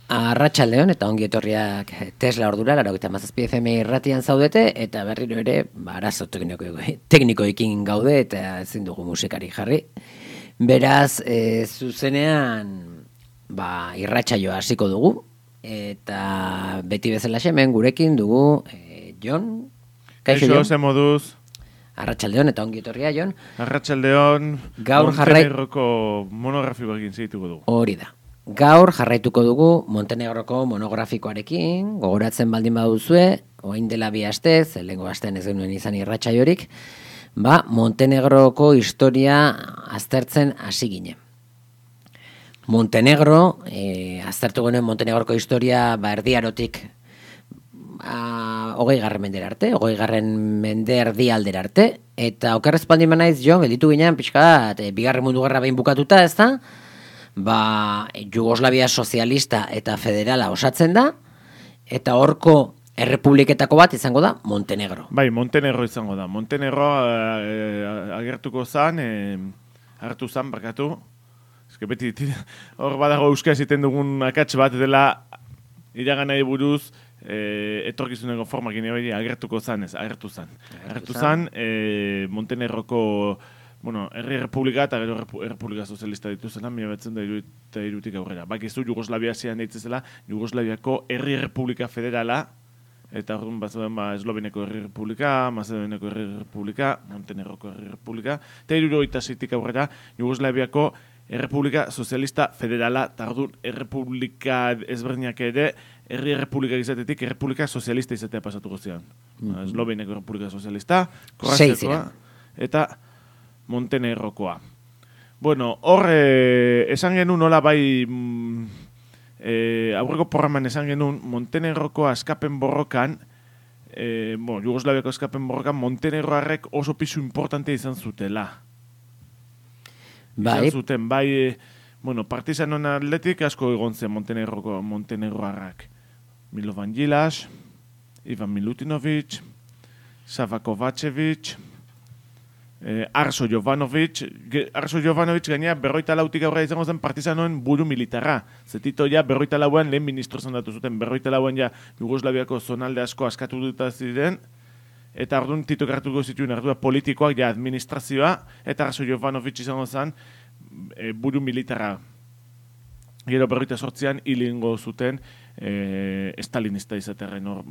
Arratsaldeon eta ongi etorriak Tesla ordura 97 FM irratian zaudete eta berriro ere arazo teknikoekin gaude eta ezin dugu musikari jarri. Beraz, zuzenean irratsaioa hasiko dugu eta beti bezala hemen gurekin dugu Jon. Kaixo, ze moduz? Arratsaldeon eta ongi etorria Jon. Arratsaldeon. Gaur Montenegroko monografikoekin segituko dugu. Hori da. Gaur jarraituko dugu Montenegroko monografikoarekin, gogoratzen baldin baduzue, orain dela 2 aste, lehengo astean ez genuen izan irratsaiorik, Montenegroko historia aztertzen hasi ginen. Montenegro, aztertu genuen Montenegroko historia Erdiarotik 20. mendera arte, 20. mende erdialdera arte, eta okerrez baldin banaiz Jon, gelditu ginen pixka, Bigarren Mundu Gerra behin bukatuta, ez da? Jugoslavia sozialista eta federala osatzen da, eta horko errepubliketako bat izango da Montenegro. Bai, Montenegro izango da. Montenegro agertuko zan, hartu zan, barkatu. Ez beti, hor badago euskaz iten dugun akats bat dela iraganai buruz, etorkizuneko formakin agertuko zan, ez, agertu zan, Montenegroko herri republika eta gero republika sozialista dituzela, 1903 aurrera. Bakizu Jugoslavia zian deitzezela, Jugoslaviako herri republika federala, eta orduan Esloveniako herri republika, Macedoniako herri republika, Montenegroko herri republika, eta 1906 aurrera Jugoslaviako errepublika sozialista federala, eta orduan errepublika ezberdinak ere, herri republika izatetik errepublika sozialista izatea pasatuko zian. Esloveniako errepublika sozialista, Kroaziakoa, eta Montenegrokoa. Hor esan genuen nola aurreko programan esan genuen Montenegroko askapen borrokan, Jugoslaviako askapen borrokan Montenegroarrek oso pisu importante izan zutela. Izan zuten, partisanon atletik asko egon zen Montenegroarrak. Milovan Gilas, Ivan Milutinovic, Sava Kovacevic, Arso Jovanovic gainea 44 aurra izango zen partizanoen buru militarra. Zetito ja 44an lehen ministro zendatu zuten, 44an ja Jugoslaviako zonalde asko askatu duta ziren, eta orduan Tito hartuko zituen ardura politikoak ja administrazioa, eta Arso Jovanovic izango zen buru militarra. Gero 48an hilingo zuten estalinista izaterren hor,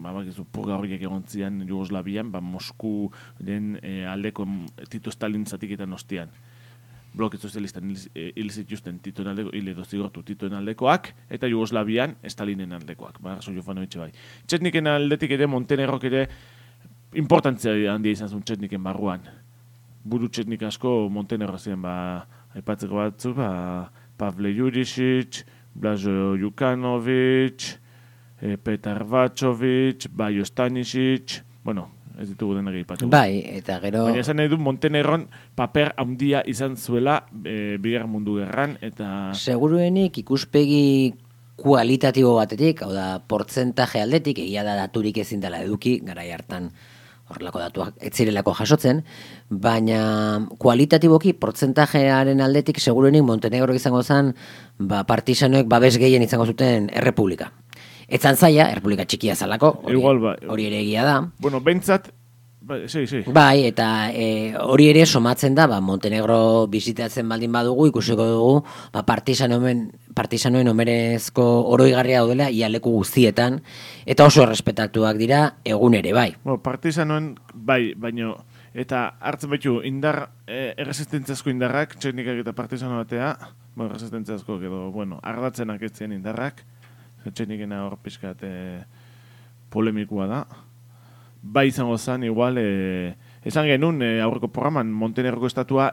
purga horiek egon zian Jugoslavian, Mosku den aldeko Tito Stalin zatiketan ostian. Bloke sozialistan hil zituzten Titoen aldeko, hil edo zigortu Titoen aldekoak, eta Jugoslavian Stalinen aldekoak, Arso Jovanovic bai. Txetniken aldetik ere, Montenegrok ere importantzia handia izan zuen Txetniken barruan. Buru Txetnik asko Montenegro ziren, aipatzeko batzu, Pavle Jurisic, Blažo Jukanovic, Petar Vačovic, Bajo Stanisic, ez ditugu denak aipatu. Bai, eta gero... Baina esan nahi du Montenegron paper handia izan zuela Bigarren Mundu Gerran, eta... Seguruenik ikuspegi kualitatibo batetik, hau da, portzentaje aldetik, egia da daturik ezin dela eduki, garai hartan horrelako datuak ez zirelako jasotzen, baina kualitatiboki portzentajearen aldetik seguruenik Montenegro izango zen partisanoek babes gehien izango zuten errepublika. Etzan zaila, errepublika txikia zalako, hori ere egia da. Bentsat, Bai, eta hori ere somatzen da, Montenegro bizitatzen baldin badugu, ikusiko dugu, partisanoen omerezko oroigarria daudela ialeku guztietan, eta oso errespetatuak dira egun ere, bai. Partisanoen, bai, baino, eta hartzen baitu, erresistentziazko indarrak, txetnikak eta partisano batea, erresistentziazko, ardatzenak ez ziren indarrak, txetnikena hor pixkat polemikua da. Bai izango zen, igual, esan genuen aurreko programan Montenegroko estatua,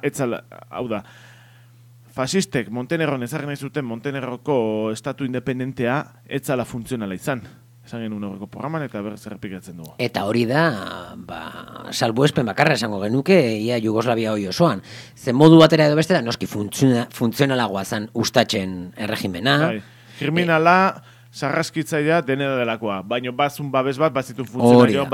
hau da, fasistek Montenegron ezarri nahi zuten Montenegroko estatu independentea etzala funtzionala izan. Esan genuen aurreko programan eta berriz errepikatzen dugu. Eta hori da, salbuespen bakarra esango genuke, ia Jugoslavia hori osoan. Zen modu batera edo bestera, noski funtzionalagoa zen ustatzen erregimena. Bai, kriminala, sarraskitzailea denera delakoa. Baina bazun babes bat, bazitun funtzionario,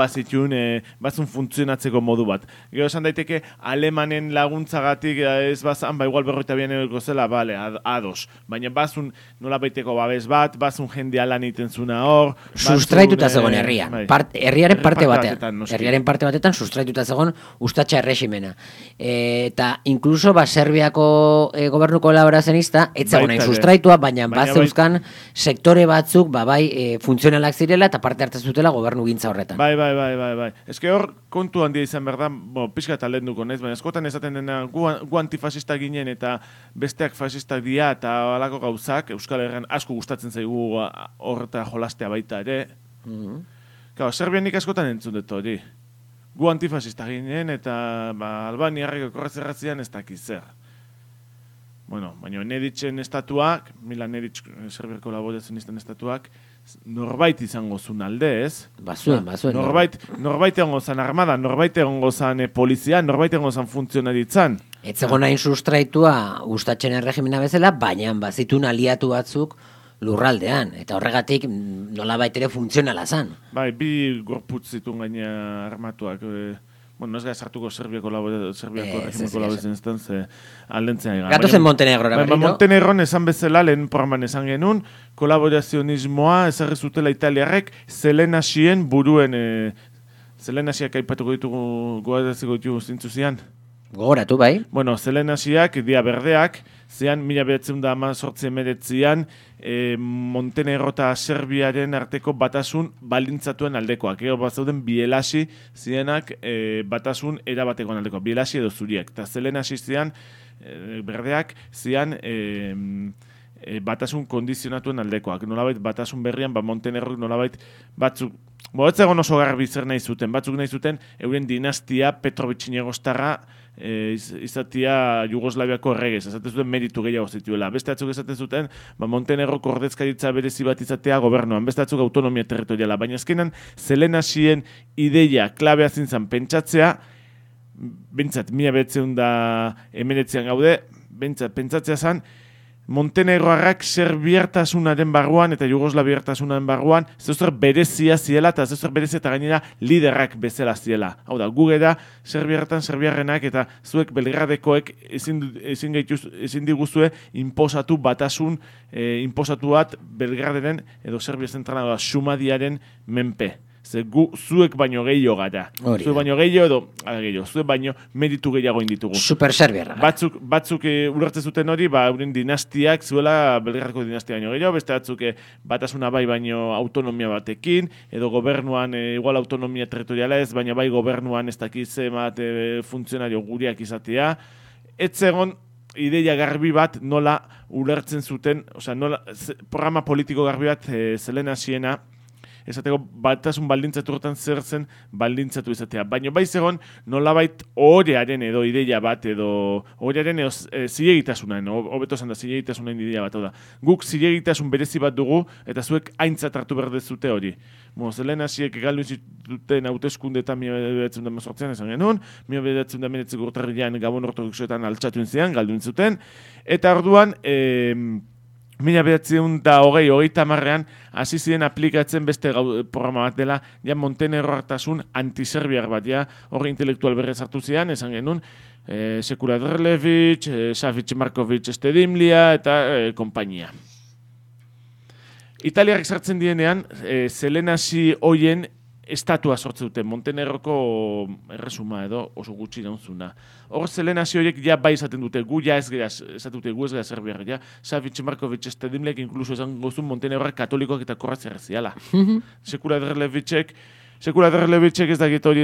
bazun funtzionatzeko modu bat. Gero esan daiteke, alemanen laguntzagatik ez bazan, igual 42 euroko zela, bale, ados. Baina bazun nola baiteko babes bat, bazun jendea lan iten zuna hor. Sustraituta zegoen herrian. Herriaren parte batean. Herriaren parte batetan sustraituta zegoen ustatxa erregimena. Eta inkluso Serbiako gobernu kolaborazionista ez zegoen hain sustraitua, baina bat zeuzkan sektore batzuk funtzionalak zirela eta parte hartzen zutela gobernu gintza horretan. Bai. Ez que hor kontu handia izan behar da, pixka eta lehen duko, baina eskotan esaten dena gu antifasista ginen eta besteak fasistak dira eta alako gauzak, Euskal Herrian asko gustatzen zaigu horreta jolastea baita ere. Serbianik askotan entzun dut hori. Gu antifasista ginen eta Albaniarreko korrezerratzean ez dakiz zer. Bueno, baina Neditzen estatuak, Mila Nedic Serbiako laborazionisten estatuak, norbait izango zuen alde, ez? Bazuen. Norbait egongo zan armada, norbait egongo zan polizia, norbait egongo zan funtzionaritzan. Ez zegoen hain sustraitua gustatzen erregimena bezala, baina bazitun aliatu batzuk lurraldean, eta horregatik nolabait ere funtzionala zan. Bai, bi gorputz zituen gaina armatuak, ez gara sartuko Serbiako regimeko laborazionistan, ze aldentzea egan. Gatozen Montenegrora berriro. Montenegron esan bezala, lehen programan esan genuen, kolaborazionismoa ezarri zutela italiarrek Zelenasien buruen, Zelenasiak aipatuko ditugu goaraziko ditugu zintzu zian. Gogoratu, bai. Bueno, Zelenasiak, dia berdeak, zean 1918 Montenegro eta Serbiaren arteko batasun baldintzatuen aldekoak. Ego bat zauden Bielasi zienak batasun erabatekoan aldekoak. Bielasi edo zuriak. Eta Zelenasi zian berdeak zian batasun kondizionatuen aldekoak. Nolabait batasun berrian, Montenegrok nolabait batzuk, ez egon oso garbi zer nahi zuten. Batzuk nahi zuten euren dinastia Petrovitx-Negostarra izatia Jugoslaviako erregez, esaten zuten meritu gehiago zituela. Beste batzuk esaten zuten, Montenegroko ordezkaritza berezi bat izatea gobernuan, beste batzuk autonomia territoriala, baina azkenan Zelenasien ideia klabea zintzen pentsatzea, bintzat, 1919 gaude, bintzat, pentsatzea zen, Montenegroarrak serbiartasunaren barruan eta Jugoslaviartasunaren barruan zeuzer berezia ziela eta zeuzer berezia eta gainera liderrak bezala ziela. Hau da, gu gera serbiarrenak eta zuek Belgradekoek ezin diguzue inposatu batasun, inposatu bat Belgraderen edo Serbia zentrala Sumadiaren menpe. Ze gu zuek baino gehiago gara. Zuek baino gehiago edo, zuek baino meritu gehiago inditugu. Super serbiarra. Batzuk ulertzen zuten hori, euren dinastiak zuela Belgradeko dinastia baino gehiago, beste batzuk batasuna bai baino autonomia batekin, edo gobernuan igual autonomia territoriala ez, baina bai gobernuan ez dakize bat funtzionario guriak izatea. Ez egon ideia garbi bat nola ulertzen zuten, nola programa politiko garbi bat Zelenasiena, esateko batasun baldintzatu horretan zer zen baldintzatu izatea. Baina bai zegoen nolabait orearen edo ideia bat edo orearen edo zilegitasunan, hobeto esan da zilegitasunan ideia bat. Guk zilegitasun berezi bat dugu eta zuek aintzat hartu behar dezute hori. Zelenasiek galdu zituten hauteskundeetan 1918 esan genuen, 1919 urtarrilean Gabon ortodoxoetan altxatu zian, galdu zuten, eta orduan 1920-hogeita-hamarrean hasi ziren aplikatzen beste programa bat dela, ja Montenegroartasun antiserbiar bat, ja horri intelektual berrez hartu zian, esan genuen, Sekula Drlevic, Savic Markovic Estedimlia eta konpainia. Italiarrek sartzen dienean, Zelenasi hoien estatua sortzen dute, Montenegroko erresuma edo oso gutxi daunzuna. Hor Zelenasi horiek ja bai esaten dute, gu ja ez gara serbiarra, ja. Savic Markovic Estedimlek inkluso esan gozun Montenegroak katolikoak eta korratzea ziala. Sekula Drlevicek ez dakit hori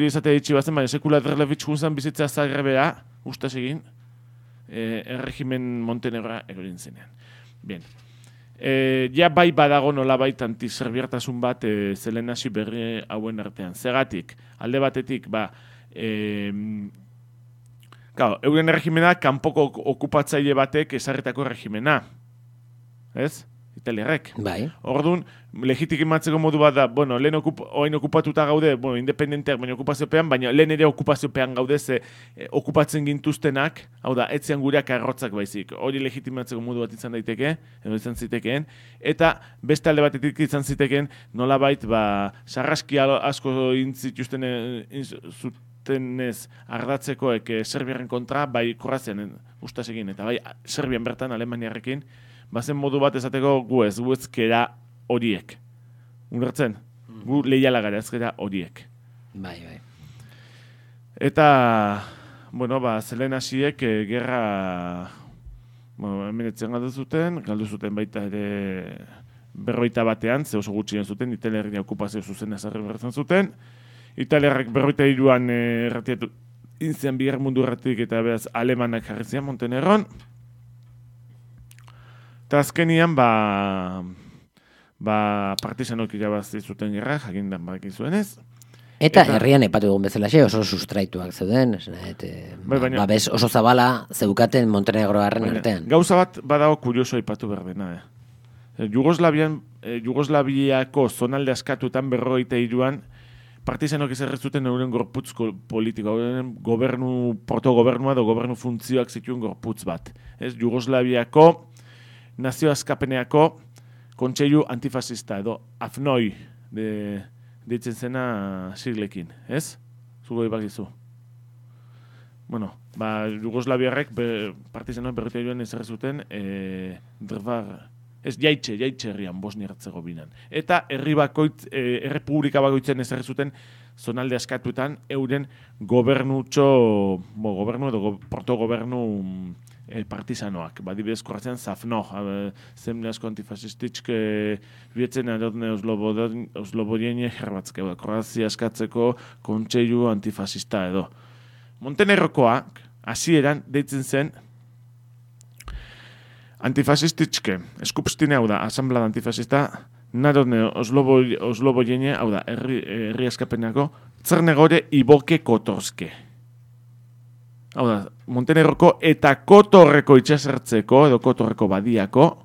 esatea ditxi bazen, baina Sekula Drlevic junzan bizitzea Zagrebera, ustaz egin, erregimen Montenegroa erorin zenean. Bien. Ja bai badago nolabait antiserbiartasun bat Zelenasi berri hauen artean. Zergatik, alde batetik, euren erregimena kanpoko okupatzaile batek ezarritako erregimena. Ez? italiarrek. Bai. Orduan, legitimatzeko modu bat da, bueno, lehen oain okupatuta gaude, bueno, independenteak, baina okupaziopean, baina lehen ere okupaziopean gaude, ze okupatzen gintuztenak, hau da, etzean gureak arrotzak baizik. Hori legitimatzeko modu bat izan daiteke, edo izan zitekeen, eta beste alde batetik izan zitekeen, nolabait, sarraski asko intzituzten zutenez ardatzekoek Serbiaren kontra, bai Kroazian ustasegin, eta bai Serbian bertan, Alemaniarekin, bazen modu bat esateko gu ezkera horiek. Ulertzen? Gu leiala gara ezkera horiek. Bai. Eta, bueno, zelen hasiek gerra hemenetzen galdu zuten baita ere 41, ze oso gutxien zuten, Italiarren okupazio zuzen ezarri bertzen zuten. Italiarrek 43an erratiatu inzian bigarren mundu erratik eta beraz alemanak jarri zian Montenegron. Eta azkenian, partizanok irabazi zuten gerra, jakindan badakin zuenez. Eta herrian epatu dugun bezalaxe oso sustraituak zeuden, oso zabala zeukaten Montenegroarren artean. Gauza bat badago kurioso aipatu behar dena. Jugoslaviako zonalde askatutan 43an partizanok izarrezuten euren gorputz politiko, euren protogobernua edo gobernu funtzioak zituen gorputz bat. Jugoslaviako nazio askapeneako kontseilu antifasista edo AFNOI deitzen zena siglekin, ez? Zugo ibagizu. Bueno, Jugoslaviarrek partizanoak berritean ezarri zuten jaitxe herrian, Bosnia-Herzegovinan. Eta errepublika bakoitzen ezarri zuten zonalde askatuetan euren gobernu edo protogobernu partizanoak. Badibidez Kroazian Zafno, zemle asko antifasistitsk bietzen adotne Oslobodienie Hrvatske, Kroazia askatzeko kontseilu antifasista edo. Montenegrokoak hasieran deitzen zen antifasistitske, eskupstine hau da, asamblada antifasista, nadotne Oslobodienie, hau da, herri askapenako, Czernegore Iboke Kotorske. Hau da, Montenegroko eta Kotorreko itxasertzeko, edo Kotorreko badiako,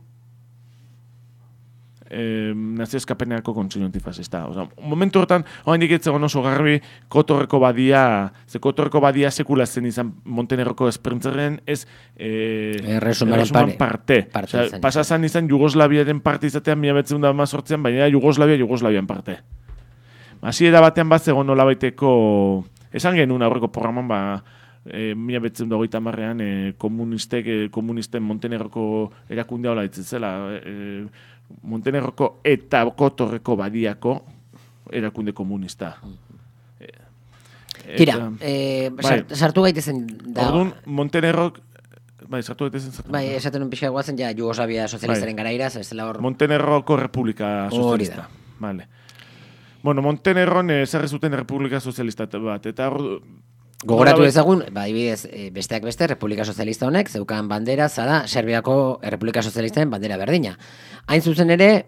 nazio eskapeneako kontseilu antifasista. Momentu horretan, oraindik ez zegoen oso garbi Kotorreko badia, ze Kotorreko badia sekula zen izan Montenegroko esprintzaren ez erresuman parte. Pasazan izan Jugoslaviaren parte izatean 1918an, baina Jugoslavian parte. Hasiera batean bat zegoen nolabaiteko, esan genuen aurreko programan, 1930an komunisten Montenegroko erakundea hola ditzela, Montenegroko eta Kotorreko badiako erakunde komunista. Tira, sartu gaitezen da. Orduan, Montenegrok, sartu gaitezen. Esaten un pixka guazen, Jugoslavia sozialistaren garaira, zela hor. Montenegroko Republika Sozialista. Vale. Bueno, Montenegron ezarri zuten Republika Sozialista bat, eta hor gogoratu ezagun, besteak beste, Republika Sozialista honek, zeukan bandera, zara, Serbiako Republika Sozialistaren bandera berdina. Hain zuzen ere,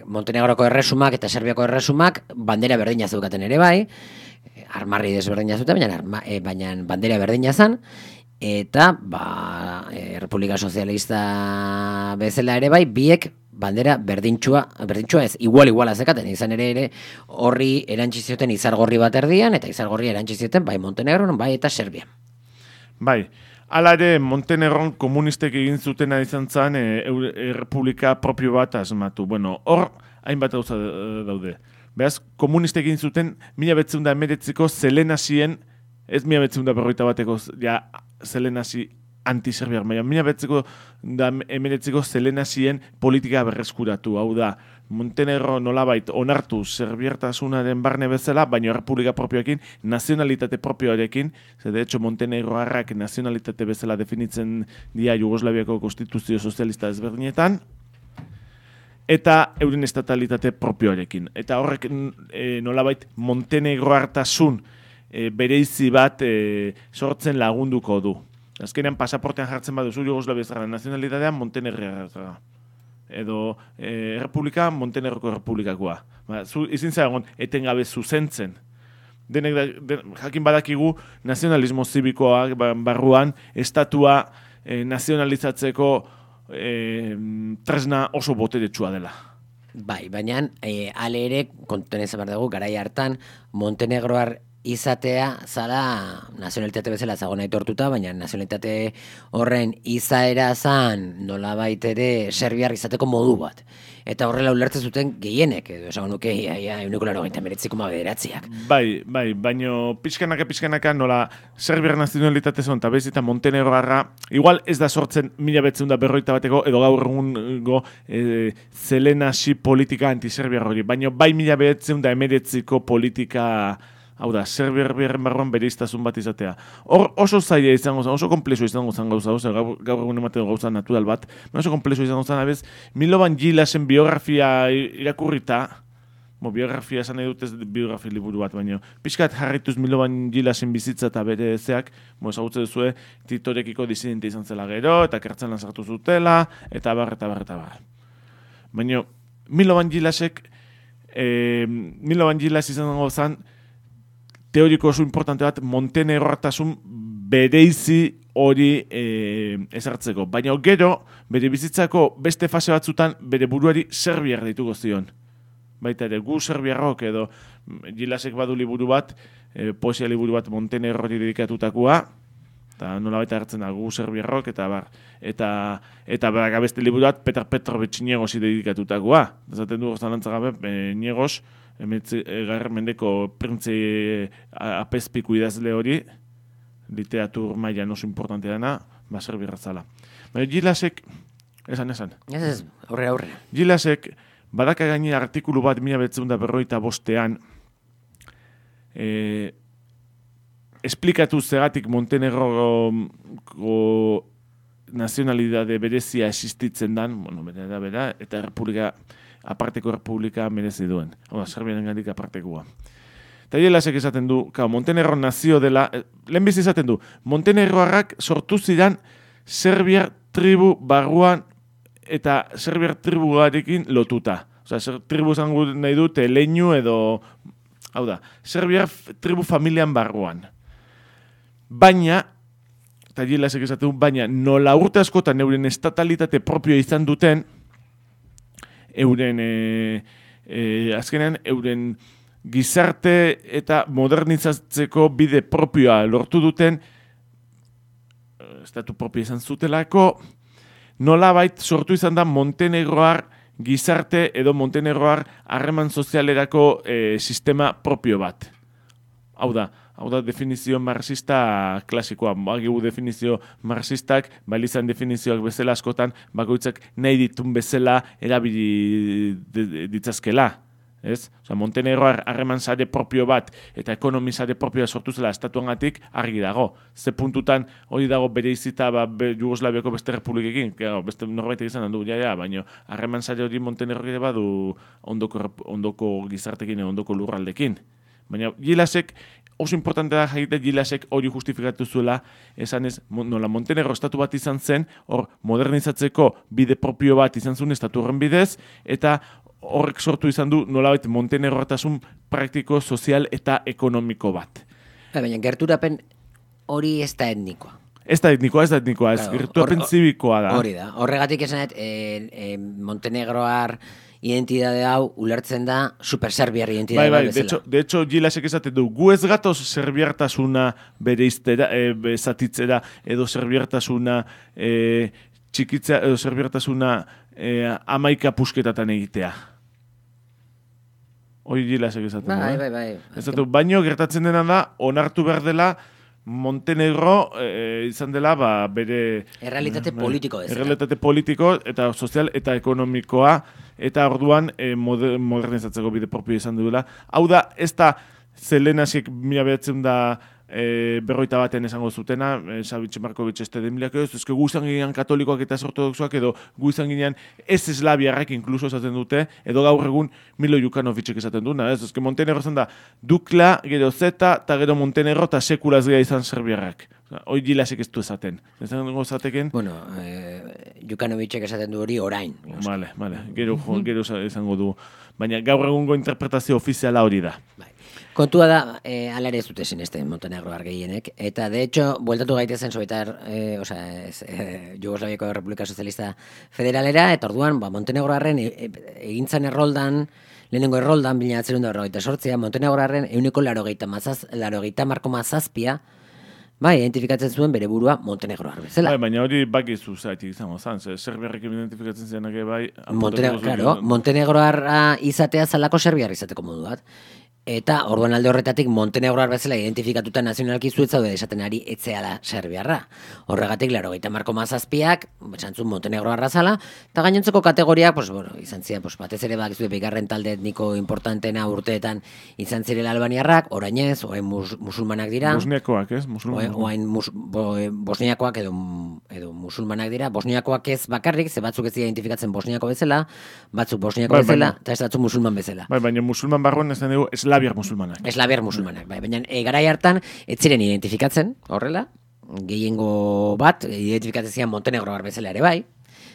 Montenegroko erresumak eta Serbiako erresumak bandera berdina zeukaten ere bai, armarri desberdina zuten, baina bandera berdina zan, eta Republika Sozialista bezala ere bai, biek bandera berdintxua ez, igual zekaten, izan ere horri erantzizioten izargorri bat erdian, eta izargorri erantzizioten bai Montenegron, bai eta Serbia. Bai, hala ere Montenegron komunistek egin zutena izan zen errepublika propio bat asmatu. Bueno, hor hainbat gauza daude. Beraz, komunistek egin zuten 1919ko Zelenasien, ez 1941ko Zelenasi anti-serbiar, baina 1919ko Zelenasien politika berreskuratu, hau da, Montenegro nolabait onartu serbiartasunaren barne bezala, baina errepublika propioekin, nazionalitate propioarekin, de hecho Montenegroarrak nazionalitate bezala definitzen dira Jugoslaviako konstituzio sozialista ezberdinetan, eta euren estatalitate propioarekin. Eta horrek nolabait Montenegroartasun bereizi bat sortzen lagunduko du. Azkenean pasaportean jartzen baduzu Jugoslaviazara nazionalitatea Montenegroarra. Edo errepublika Montenegroko errepublikakoa. Izin zagon etengabe zuzentzen. Jakin badakigu nazionalismo zibikoa barruan estatua nazionalizatzeko tresna oso boteretsua dela. Bai, baina ale ere, kontuan izan behar dugu, garai hartan, Montenegroar izatea zala nazionalitate bezala zagon aitortuta, baina nazionalitate horren izaera zan nolabait ere serbiar izateko modu bat. Eta horrela ulertzen zuten gehienek, edo esan nuke, euneko 99,9. Bai, baino pixkanaka nola serbiar nazionalitate zon, eta bezita Montenegroarra, igual ez da sortzen 1941 edo gaur egungo zelenasi politika antiserbiar hori, baino bai 1919ko politika. Hau da, serbiarren barruan bereiztasun bat izatea. Hor oso zaila izango zen, oso komplexo izango zen gauza, gaur egun ematen gauza natural bat, oso komplexo izango zen, abez, Milovan Gilasen biografia irakurrita, biografia esan nahi dut ez biografia liburu bat, baina pixkat jarraituz Milovan Gilasen bizitza eta bere zeak, ezagutzen duzue, Titorekiko disidente izan zela gero, eta kertzelan sartu zutela, eta bar. Baina Milovan Gilas izango zen, teoriko oso importante bat Montenegroartasun bereizi hori ezartzeko. Baina gero, bere bizitzako beste fase batzutan bere buruari serbiar dituko zion. Baita ere, gu serbiarrok edo Gilasek badu liburu bat, poesia liburu bat Montenegrori dedikatutakoa, eta nola baita hartzen da gu serbiarrok, eta bar. Eta beste liburu bat Petar Petrovic Niegosi dedikatutakoa. Zaten du gozalantza gabe, Niegos, garren mendeko printze apezpiku idazle hori, literatur mailan oso importante dena, serbiarra zala. Baina Gilasek, esan. Ez, aurrera. Gilasek, badaka gaine artikulu bat 1945 esplikatu zegatik Montenegroko nazionalidade berezia existitzen dan, bera, eta aparteko republika merezi duen. Serbiaren gandik apartekoa. Eta Gilasek esaten du, Montenegro nazio dela, lehenbiz esaten du, Montenegroarrak sortu zidan serbiar tribu barruan eta serbiar tribuarekin lotuta. Tribu zango nahi dute leinu edo, hau da, serbiar tribu familian barruan. Baina, eta Gilasek esaten du, baina nola urte askotan euren estatalitate propio izan duten, azkenean, euren gizarte eta modernizatzeko bide propioa lortu duten, estatu propio izan zutelako, nolabait sortu izan da Montenegroar gizarte edo Montenegroar harreman sozialerako sistema propio bat. Hau da definizio marxista klasikoa. Bagigu definizio marxistak, balizan definizioak bezala askotan, bakoitzak nahi ditun bezala erabili ditzazkela. Ez? Montenegroar harreman sare propio bat eta ekonomi sare propioa sortu zela estatuangatik argi dago. Ze puntutan hori dago bere izita Jugoslaviako beste republikekin, beste norbait izan handu, baina harreman sare hori Montenegroak badu ondoko gizartekin, ondoko lurraldekin. Baina Gilasek, oso importante da jaite Gilasek hori justifikatu zuela, esanez, nola Montenegro estatu bat izan zen, hor modernizatzeko bide propio bat izan zuen estatu horren bidez, eta horrek sortu izan du nolabait Montenegroartasun praktiko, sozial eta ekonomiko bat. Baina gerturapen hori ez da etnikoa. Ez da etnikoa, gerturapen zibikoa da. Hori da, horregatik esanet, Montenegroar identidade hau ulertzen da superserbiar identidade bezala. De hecho, Gilasek esaten du, gu ez gatoz serbiartasuna bereiztera, zatitzera, edo serbiartasuna txikitzea, edo serbiartasuna amaika pusketatan egitea. Hoi Gilasek esaten du. Bai. Esaten du, baino gertatzen dena da, onartu behar dela, Montenegro izan dela bere errealitate politiko bezala. Errealitate politiko eta sozial eta ekonomikoa eta orduan modernizatzeko bide propio izan duela. Hau da, ez da Zelenasik 1940 baten esango zutena, Savitz Markovic Estedemiliak edo, ezke gu izan ginean katolikoak eta ortodoxoak edo gu izan ginean ez eslabiarrak inkluso esaten dute, edo gaur egun Milo Jukanovicek esaten duna, ez? Ezke Montenegro zen da Dukla, gero Zeta, eta gero Montenegro, eta sekulaz gea izan serbiarrak. Hoi Gilasek ez du esaten. Esan zateken? Bueno, Jukanovicek esaten du hori orain. Vale. Gero izango du. Baina gaur egungo interpretazio ofiziala hori da. Bai. Kontua da, ala ere ez dute sinesten Montenegroar gehienek, eta de hecho, bueltatu gaitezen Sovietar, Jugoslaviako Republika Sozialista Federalera, eta orduan, Montenegroarren egintzan erroldan, lehenengo erroldan, 1948, Montenegroarren 180,7, bai, identifikatzen zuen bere burua Montenegroar bezala. Bai, baina hori bakizu zaitik izango zan, Serbiarrekin identifikatzen zenak bai... Montenegroarra izatea zalako Serbiar izateko modu bat. Eta orduan alde horretatik Montenegroar bezala identifikatuta nazionalki zuetzaude esaten ari etzeala Serbiarra. Horregatik, 90,7ak, esantzun Montenegroarra zala, eta gainontzeko kategoriak, izan ziren, batez ere bakizu bigarren talde etniko importantena urteetan izan zirela albaniarrak, orainez, oain musulmanak dira. Bosniakoak, ez? Oain bosniakoak edo musulmanak dira. Bosniakoak ez bakarrik, ze batzuk ez identifikatzen bosniako bezala, batzuk bosniako bezala, eta ez batzuk musulman bezala. Bai, baina musulman barruan ez dugu eslabiar musulmanak. Bai, baina garai hartan ez ziren identifikatzen, horrela, gehiengo bat, identifikatzen ziren Montenegroar bezala ere bai,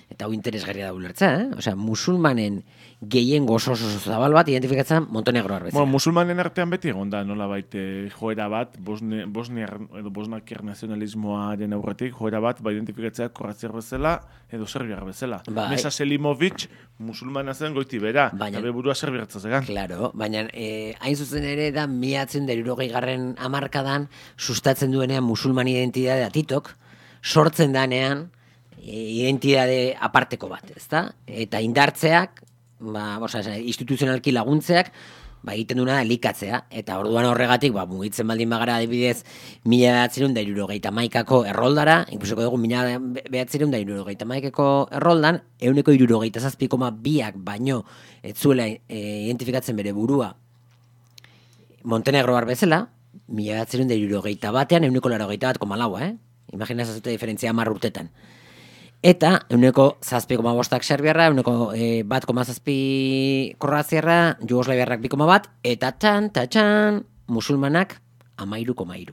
eta hau interesgarria da ulertza, Osea, musulmanen gehiengo oso zabal bat identifikatzen Montenegroar bezala. Bueno, musulmanen artean beti egon da, nola baite joera bat, bosnakiar nazionalismoaren aurretik, joera bat, identifikatzea kroaziar bezala, edo serbiar bezala. Bai. Mesa Selimovic, musulmana zen goiti bera, eta burua serbiartza zegan. Claro, baina hain zuzen ere da 1960garren hamarkadan sustatzen duenean musulman identidadea Titok, sortzen danean identidade aparteko bat, ezta? Eta indartzeak, instituzionalki laguntzeak, egiten duena elikatzea, eta orduan horregatik, mugitzen baldin bagara adibidez 1971ko erroldara, ikusiko dugu 1971ko erroldan, 167,2ak baino ez zuela identifikatzen bere burua Montenegroar bezala, 1971an 181,4, Imaginazazute diferentzia 10 urtetan. Eta 1,7,5ak Serbiarra, 1,7 Kroaziarra, Jugoslaviarrak 2,1, eta txan, musulmanak 13,3.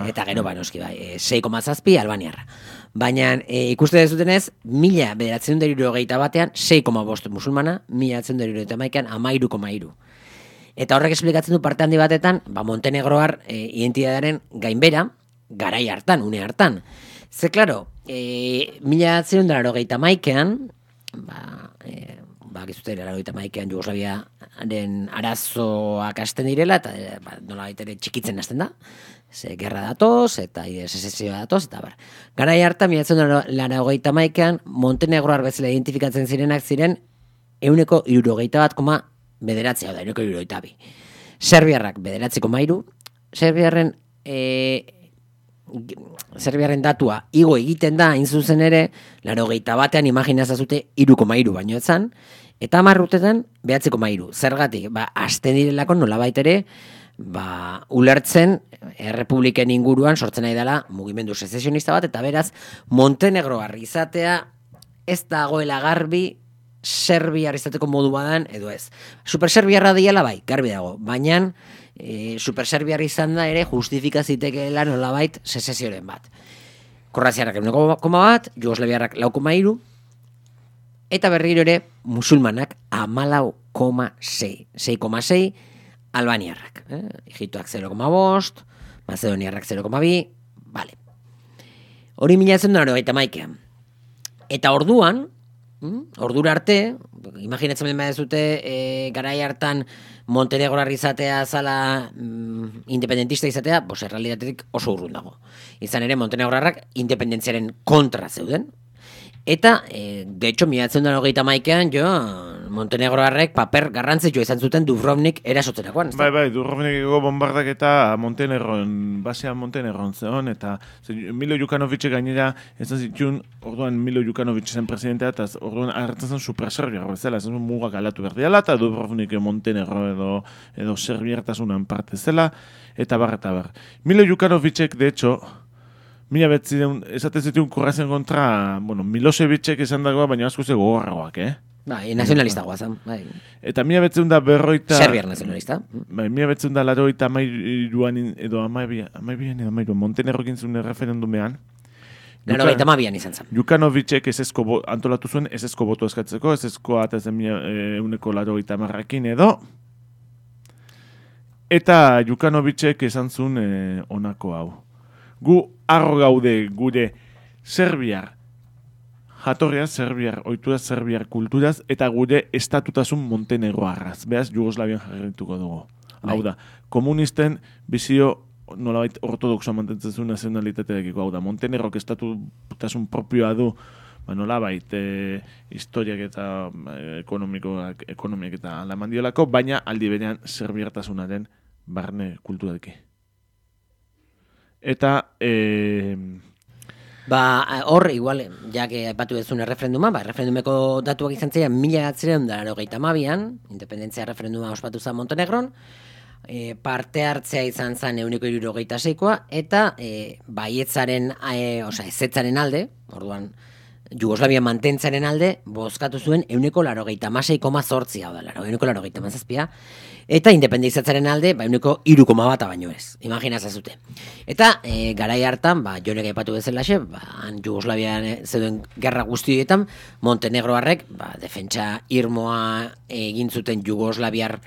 Eta gero noski bai, 6,7 Albaniarra. Baina ikuste dezutenez, 1971an 6,5 musulmana, 1971an 13,3. Eta horrek esplikatzen du parte handi batetan, Montenegroar identitatearen gainbera, garai hartan, une hartan. Ze, klaro, 1991an, gizute, 1991an Jugoslaviaren arazoak hasten direla, eta nola baitere txikitzen hasten da. Ze, gerra datoz, eta sesesioa datoz, eta bar. Garai hartan, 1991an, Montenegroar bezala identifikatzen zirenak ziren 161,9, hau da, 162. Serbiarrak 9,3, Serbiarren datua igo egiten da, hain zuzen ere, 91an imaginazazute 3,3 baino etzan, eta 10 urtetan 9,3. Zergatik, hasten direlako nolabait ere, ulertzen errepubliken inguruan sortzen nahi dela mugimendu sezesionista bat, eta beraz, Montenegroar izatea ez dagoela garbi serbiar izateko modu badan, edo ez. Superserbiarra diela bai, garbi dago, baina superserbiar izan da ere justifika zitekeela nolabait sezesioren bat. Kroaziarrak 1,1, Jugoslaviarrak 4,3, eta berriro ere musulmanak 14,6, 6,6 albaniarrak. Egiptoak 0,5, Macedoniarrak 0,2, vale. Hori 1991an. Eta orduan, ordura arte, imaginatzen behar dezute, garai hartan Montenegroar izatea zala independentista izatea, errealitatetik oso urrun dago. Izan ere, Montenegroarrak independentziaren kontra zeuden. Eta, de hecho, 1991an, Montenegroarrek paper garrantzitsua izan zuten Dubrovnik erasotzerakoan. Bai, Dubrovnikeko bombardak eta basean Montenegron zeon, eta Milo Jukanovic gainera, ez zituen, orduan Milo Jukanovic zen presidentea, eta orduan hartzen zen superserbiar bezala, ez zen mugak alatu behar diala, eta Dubrovnik Montenegro edo serbiartasunan parte zela, eta bar. Milo Jukanovicek, de hecho, esaten zituen Kroazian kontra, Milosevicek esan dagoa, baina asko ze gogorragoak, Bai, nazionalista guazan, bai. Eta 1940... Serbiar nazionalista. Bai, 1983an edo 12an Montenegrokin zuen referendumean, Laurogeita hamabian izan zen. Jukanovicek antolatu zuen ezezko boto eskatzeko, ezezkoa eta euneko 80 edo. Eta Jukanovicek esan zuen honako hau. Gu harro gaude gure serbiar jatorriaz, serbiar oituraz, serbiar kulturaz, eta gure estatutasun Montenegroarraz. Beaz, Jugoslavian jarrituko dugu. Hau da, komunisten bizio nolabait ortodoxoa mantentzen zuen nazionalitateakiko, hau da, Montenegrok estatutasun propioa du, nolabait historiak eta ekonomiak eta alamandiolako, baina aldi berean serbiartasunaren barne kulturalki. Eta hor, igual, que aipatu dezun erreferenduma, erreferendumeko datuak izan ziren 1992an, independentzia referenduma ospatu zen Montenegron, parte hartzea izan zen 176koa, eta baietzaren, ezetzaren alde, orduan, Jugoslavia mantentzaren alde, bozkatu zuen 186,8, hau da, 187, eta independizatzaren alde, 1,3 baino ez, imaginaz zute. Eta, garai hartan, jonek aipatu bezalaxe, Jugoslavian zeuden gerra guztietan, Montenegroarrek, defentsa irmoa egin zuten Jugoslaviar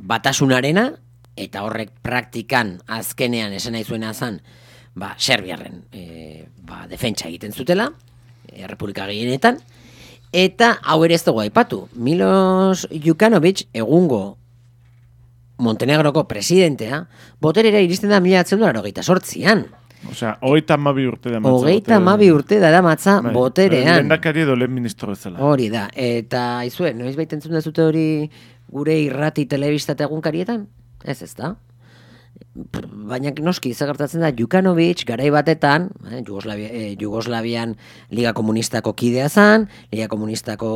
batasunarena, eta horrek praktikan azkenean esan nahi zuena zen, Serbiarren defentsa egiten zutela, Republika gehienetan, eta hau ere ez dugu aipatu. Milos Jukanovic, egungo Montenegroko presidentea, boterera iristen da 1998an. Osea, 32 urte da matza. 32 urte da matza boterean. Lehendakari edo lehen ministro bezala. Hori da, eta izue, noiz baita entzun dazute hori gure irrati telebista eta egunkarietan? Ez da. Baina noski zagartatzen da Jukanovic garai batetan, Jugoslavian Liga Komunistako kidea zan, Liga Komunistako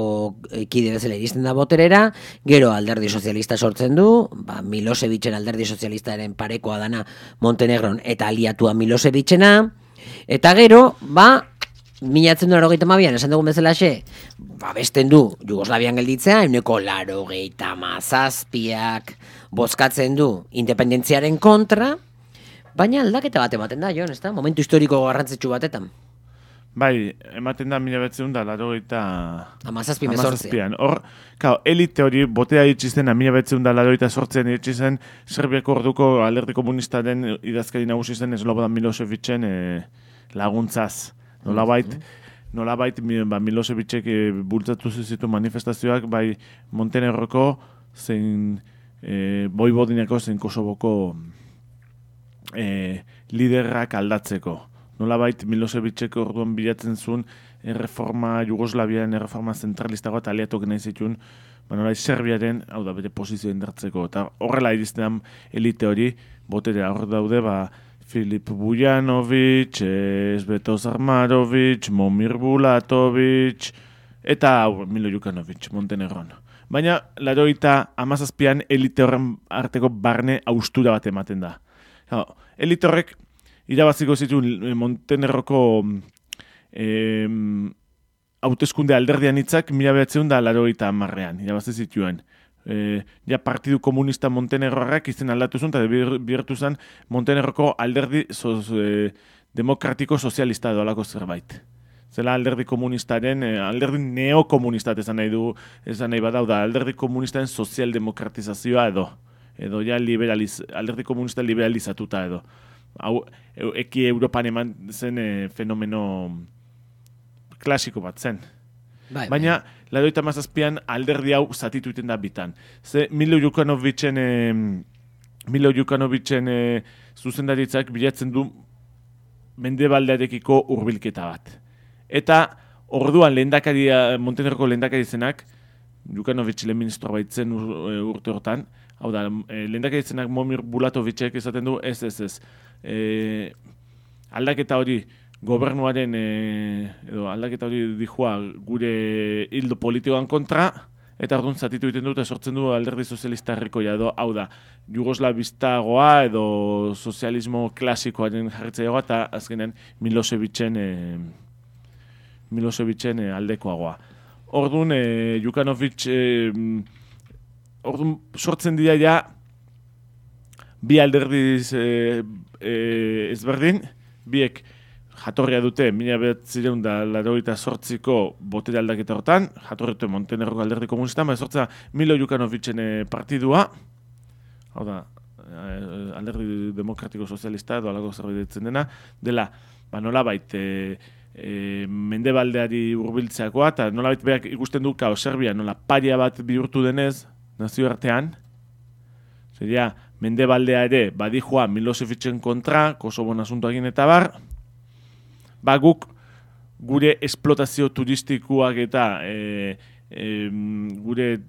kide bezala iristen da boterera, gero alderdi sozialista sortzen du, Milosevicen alderdi sozialistaren parekoa dana Montenegron eta aliatua Milosevicena, eta gero, 1992an esan dugun bezalaxe, besten du Jugoslavian gelditzea, 187ak bozkatzen du independentziaren kontra, baina aldaketa bat ematen da, Jon, ez da? Momentu historiko garrantzitsu batetan. Bai, ematen da 1987an. Hor, elite hori botea itxizten 1988an itxizen Serbiako orduko alderdi komunistaren idazkari nagusi zen Slobodan Milosevicen laguntzaz. Nolabait Milosevicek bultzatu zitu manifestazioak bai Montenegroko zein Voivodinako zein Kosovoko liderrak aldatzeko. Nolabait Milosevicek orduan bilatzen zuen Jugoslaviaren erreforma zentralistagoa eta aliatok nahi zituen nolabait Serbiaren, hau da, bere posizio indartzeko. Eta horrela iristen elite hori, boterea hor daude, Filip Bujanovic, Sveto Zarmarovic, Momir Bulatovic, eta Milo Jukanovic, Montenegron. Baina, 97an elite horren arteko barne haustura bat ematen da. Elite horrek irabaziko zituen Montenegroko hauteskunde alderdian hitzak 1990an irabazi zituen. Partidu komunista Montenegroarrak izen aldatu zuen eta bihurtu zen Montenegroko alderdi demokratiko sozialista edo zerbait. Zela alderdi komunistaren, alderdi neokomunistat esan nahi badau da, alderdi komunistaren sozialdemokratizazioa edo ja alderdi komunista liberalizatuta edo. Hau, eki Europan eman zen fenomeno klasiko bat zen. Baina, 97an alderdi hau zatitu iten da bitan. Ze Milo Jukanovicen zuzendaritzak bilatzen du mendebaldearekiko hurbilketa bat. Eta orduan Montenegroko lehendakari zenak, Jukanovic lehen ministroa baitzen urte hortan, hau da, lehendakari zenak Momir Bulatovicek esaten du, ez. Aldaketa hori gobernuaren, edo aldaketa hori dijua gure hildo politikoan kontra, eta orduan zatitu egiten dut, sortzen du alderdi sozialista herrikoia edo, hau da, jugoslavistagoa edo sozialismo klasikoaren jarritzaileagoa, eta azkenean Milosevicen aldekoagoa. Orduan, Jukanovic, orduan sortzen dira ja, bi alderdiz ezberdin, biek jatorria dute 1988ko botere aldaketa hortan, jatorria dute Montenegroko alderdi komunistan, sortza Milo Jukanovicen partidua, hau da, alderdi demokratiko sozialista edo alako zerbait ditzen dela, nolabait mendebaldeari hurbiltzeakoa, eta nolabait berak ikusten du Serbia nola paria bat bihurtu denez, nazioartean, seria, mendebaldea ere badijua Milosevicen kontra, Kosovon asuntoakin eta bar, guk gure esplotazio turistikoak eta gure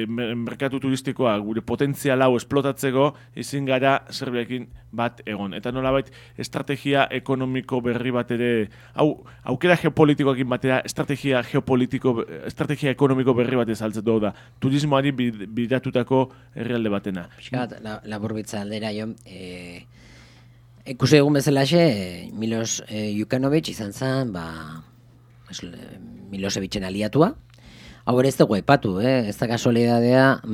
merkatu turistikoa, gure potentzial hau esplotatzeko, ezin gara Serbiakin bat egon. Eta nolabait, estrategia ekonomiko berri bat ere, aukera geopolitikoakin batera, estrategia ekonomiko berri bat ezaltzen da, turismoari bidatutako herrialde batena. Piskat, laburbitza aldera jo, ikusi egun bezalaxe, Milos Jukanovic izan zen, Milosevicen aliatua. Hau ere ez dugu aipatu, ez da kasualidadea,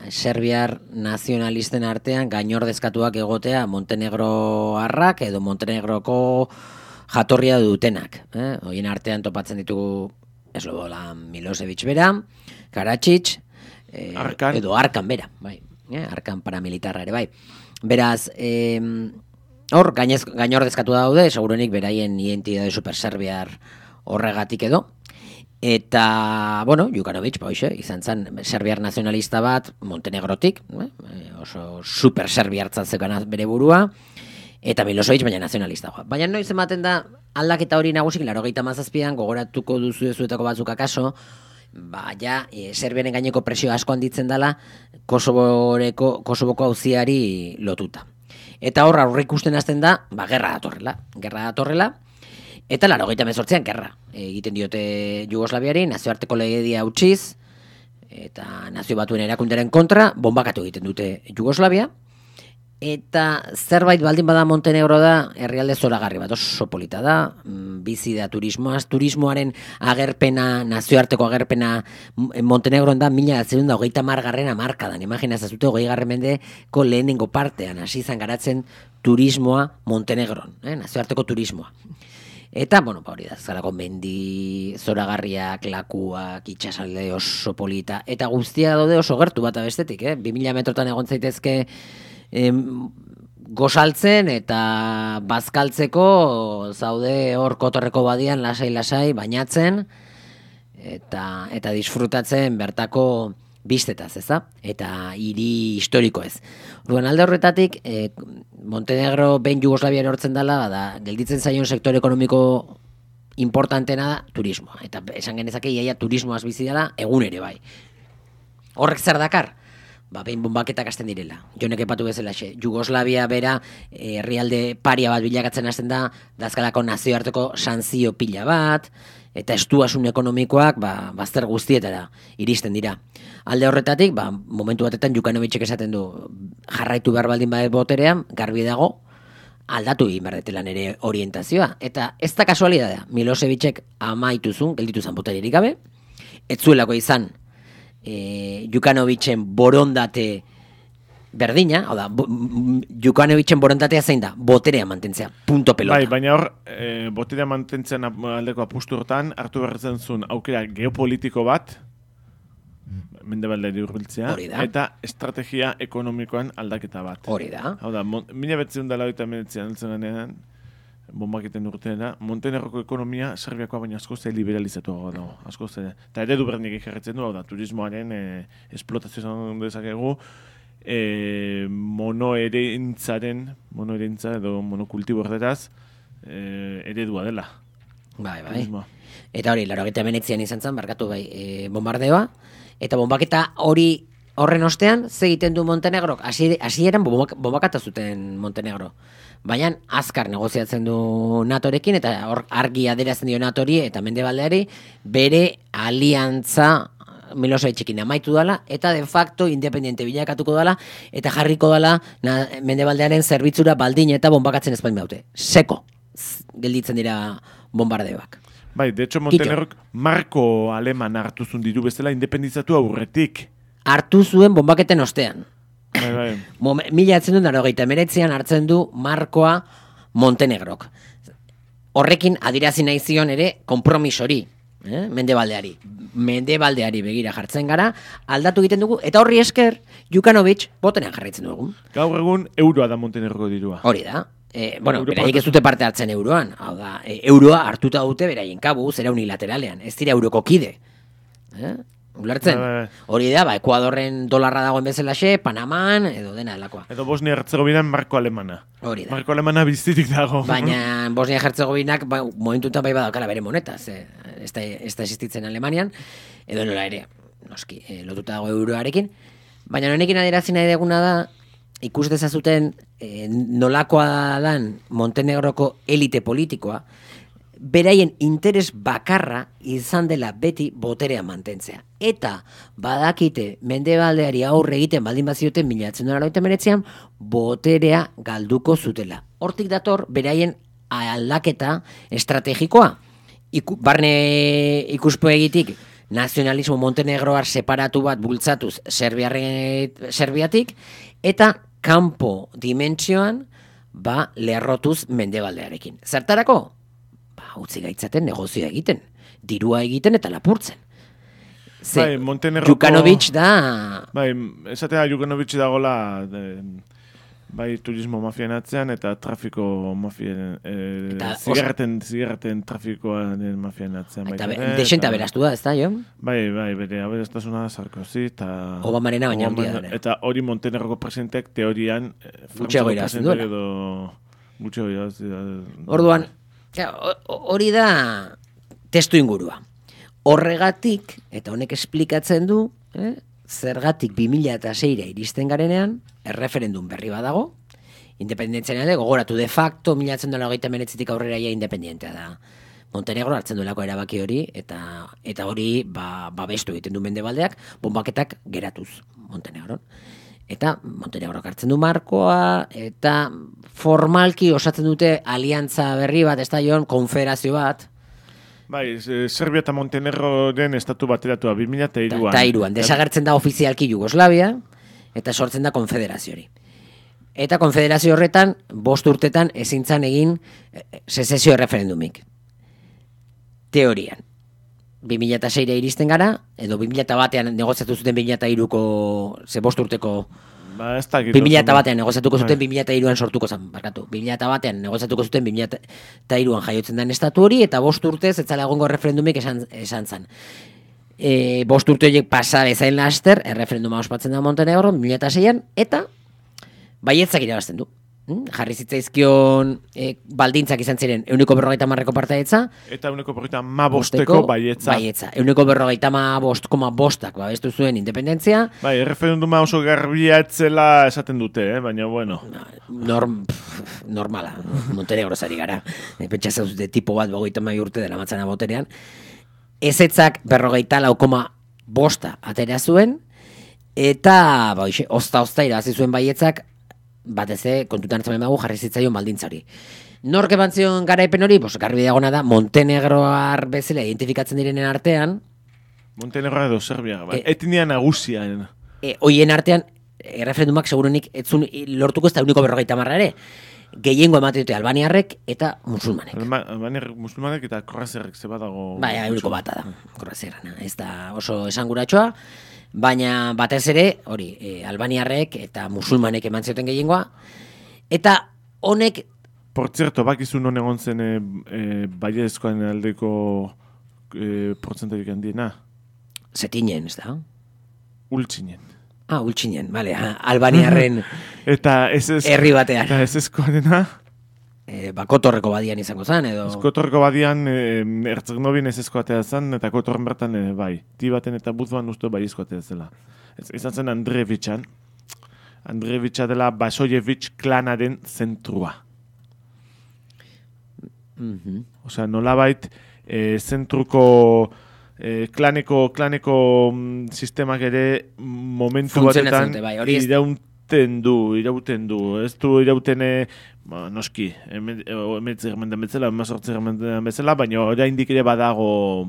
serbiar nazionalisten artean gainordezkatuak egotea Montenegroarrak edo Montenegroko jatorria dutenak. Horien artean topatzen ditugu Slobodan Milosevic bera, Karadzic, edo Arkan bera, bai. Arkan paramilitarra ere bai. Beraz, hor, gainordezkatu daude, segurenik beraien identitate superserbiar horregatik edo. Eta, Jukanovic, izan zen serbiar nazionalista bat Montenegrotik, oso super serbiartzat zekan bere burua, eta Milosevic baina nazionalista. Baina noiz ematen da aldaketa hori nagusik, 87an gogoratuko duzuetako batzuk akaso, Serbiaren gaineko presio asko handitzen dela Kosovoko auziari lotuta. Eta hor aurre ikusten hasten da, gerra datorrela, eta 88an gerra egiten diote Jugoslaviari, nazioarteko legedia utziz, eta nazio batuen erakunderen kontra, bombakatu egiten dute Jugoslavia, eta zerbait baldin bada Montenegro da, herrialde zoragarri bat, oso polita da, bizi da turismoaren agerpena, nazioarteko agerpena Montenegroan da, 1930 hamarkadan, imaginazazute 20. mendeko lehenengo partean, hasi izan garatzen turismoa Montenegron, nazioarteko turismoa. Eta, hori da, zarako mendi, zoragarriak, lakuak, itxasalde oso polita, eta guztia daude oso gertu bat abestetik, 2000 metrotan egon zaitezke gozaltzen eta bazkaltzeko zaude hor kotorreko badian lasai, bainatzen, eta disfrutatzen bertako bistetaz, eza? Eta hiri historiko ez. Orduan alde horretatik, Montenegro behin Jugoslavia erortzen dela, gelditzen zaion sektore ekonomiko importantena da turismoa. Eta esan genezake iaia turismoaz bizi dela egun ere bai. Horrek zer dakar? Behin bombaketak hasten direla. Jonek epatu bezala xe. Jugoslavia bera herrialde paria bat bilakatzen hasten da, dazkalako nazioarteko sanzio pila bat, eta estuasun ekonomikoak bazter guztietara iristen dira. Alde horretatik, momentu batetan Jukanovicek esaten du jarraitu behar baldin badet boterean, garbi dago, aldatu egin behar ere orientazioa. Eta ez da kasualidadea, Milosevicek amaituzun, geldituzan boteririk gabe, ez zuelako izan Jukanovicen borondate berdina, hau da, Jukanovicen borondatea zein da, boterea mantentzea, punto pelota. Baina hor, boterea mantentzean aldeko apustu hortan, hartu berretzen zuen aukera geopolitiko bat, mendebalderi hurbiltzea, eta estrategia ekonomikoan aldaketa bat. Hori da. Hau da, 1989an ganean, bombaketen urteena, Montenegroko ekonomia Serbiakoa baina askoz liberalizatu dago, askoz eta eredu berdinek ikerretzen du, hau da, turismoaren esplotazio izan dezakegu, monoerentza edo monokultibo erderaz eredua dela. Bai. Eta hori, 89an izan zen, barkatu bombardeoa, eta bombaketa horren ostean, ze egiten du Montenegrok, hasieran bombakata zuten Montenegro. Baina azkar negoziatzen du NATOrekin, eta hor argi adierazten dio NATOri eta mendebaldeari bere aliantza Milosevicekin amaitu dela, eta de facto independiente bilakatuko dela, eta jarriko dela mendebaldearen zerbitzura baldin eta bombakatzen ezpain baute. Seko gelditzen dira bombardeoak. Bai, de hecho Montenegrok marko aleman hartu zuen diru bezala independizatu aurretik. Hartu zuen bombaketen ostean. Bai. 1989an hartzen du markoa Montenegrok. horrekin adirazi nahi zion ere konpromisori, Mendebaldeari begira jartzen gara, aldatu egiten dugu, eta horri esker, Jukanovic botenean jarraitzen dugu. Gaur egun euroa da Montenegroko dirua. Hori da. Beraik ez dute parte hartzen euroan. Hau da, euroa hartuta dute beraien kabu, zera unilateralean. Ez dira euroko kide. Ulertzen? Hori da, Ekuadorren dolarra dagoen bezalaxe, Panaman, edo dena delakoa. Edo Bosnia-Herzegovinan marko alemana. Hori da. Marko alemana bizitik dago. Baina Bosnia-Herzegovinak momentutan bai badakala bere moneta, ez da existitzen Alemanian, edo nola ere, noski, lotuta dago euroarekin. Baina honekin adierazi nahi deguna da, ikus dezazuten nolakoa dan Montenegroko elite politikoa, beraien interes bakarra izan dela beti boterea mantentzea. Eta badakite Mendebaldeari aurre egiten baldin bazioten 1989an boterea galduko zutela. Hortik dator beraien aldaketa estrategikoa. Barne ikuspegitik nazionalismo montenegroar separatu bat bultzatuz Serbiatik, eta kanpo dimentsioan lerrotuz Mendebaldearekin. Zertarako? Utzi gaitzaten negozioa egiten, dirua egiten eta lapurtzen. Jukanovic da... Esatea Jukanovic dagola turismo mafian atzean eta trafiko mafian, zigarreten trafikoan mafian atzean. Eta desenta beraztu da, ez da, jo? Bere aberastasuna Sarkozy eta... Obamarena baina handia da. Eta hori Montenegroko presidenteak teorian... Gutxeago irazten duela. Gutxeago irazten duela. Orduan, hori da testu ingurua. Horregatik, eta honek esplikatzen du, zergatik 2006 iristen garenean, erreferendum berri badago, independentzian gogoratu de facto, 1989tik aurrera independentea da. Montenegro hartzen duelako erabaki hori, eta hori babestu egiten du Mendebaldeak, bonbaketak geratuz Montenegron. Eta Montenegrok hartzen du markoa, eta formalki osatzen dute aliantza berri bat, ez da joan, konfederazio bat. Serbia eta Montenegroren estatu bateratua 2003an. Eta iruan, desagertzen da ofizialki Jugoslavia, eta sortzen da konfederazio hori. Eta konfederazio horretan, 5 urtetan ezintzan egin sezesio referendumik. Teorian. 2006 iristen gara, edo 2001an negoziatu zuten 2003ko, 5 urteko... 2001an negoziatuko zuten 2003an sortuko zen, barkatu. 2001an negoziatuko zuten 2003an jaiotzen den estatu hori, eta 5 urtez etzala egongo referendumik esan zen. 5 urte horiek pasa bezain laster, erreferenduma ospatzen da Montenegro 2006an, eta baietzak irabazten du. Jarri zitzaizkion baldintzak izan ziren 150ko partaidetza. Eta 150ko baietza. 150,5 babestu zuen independentzia. Erreferenduma oso garbia etzela esaten dute, baina bueno. Normala, Montenegro zari gara. Pentsa zauzute tipo bat 52 urte dela matzana boterean. Ezetzak 54,5 atera zuen, eta ozta irabazi zuen baietzak, batez kontutan hartzen dugu jarri zitzaion baldintzari. Nork eman zion garaipen hori, garbi dagona da, Montenegroar bezala identifikatzen direnen artean. Montenegroa edo Serbia, etnia nagusian. Hoien artean, erreferendumak segurunik etzun lortuko ez da 150 ere. Gehiengo ematen dute albaniarrek eta musulmanek. Albaniarrek, musulmanek eta korrazerrek zeba dago... 1 da, korrazerrana. Ez da oso esanguratxoa. Baina batez ere, hori, albaniarrek eta musulmanek eman zioten gehiengoa. Eta honek... Por cierto, bakizun non egon zen baiezkoan aldeko portzentarik handiena? Zetinen, ez da? Ultzinen. Ultzinen, bale, albaniarren herri batean. Eta ez ezkoarena? Kotorreko badian izango zen, edo... Kotorreko badian Herzegovin ez ezkoatea zen, eta Kotorren bertan bai. Tibaten eta Buzban uste bai ezkoatea zela. Izan zen Andrevitsan. Andrevitsa dela Basojevic klanaren zentrua. Osea, nolabait zentruko klaneko sistemak ere momentu batetan irauten du. Ez du irauten noski, emetzi germendan bezala, emazortzi germendan bezala, baina oraindik ere badago,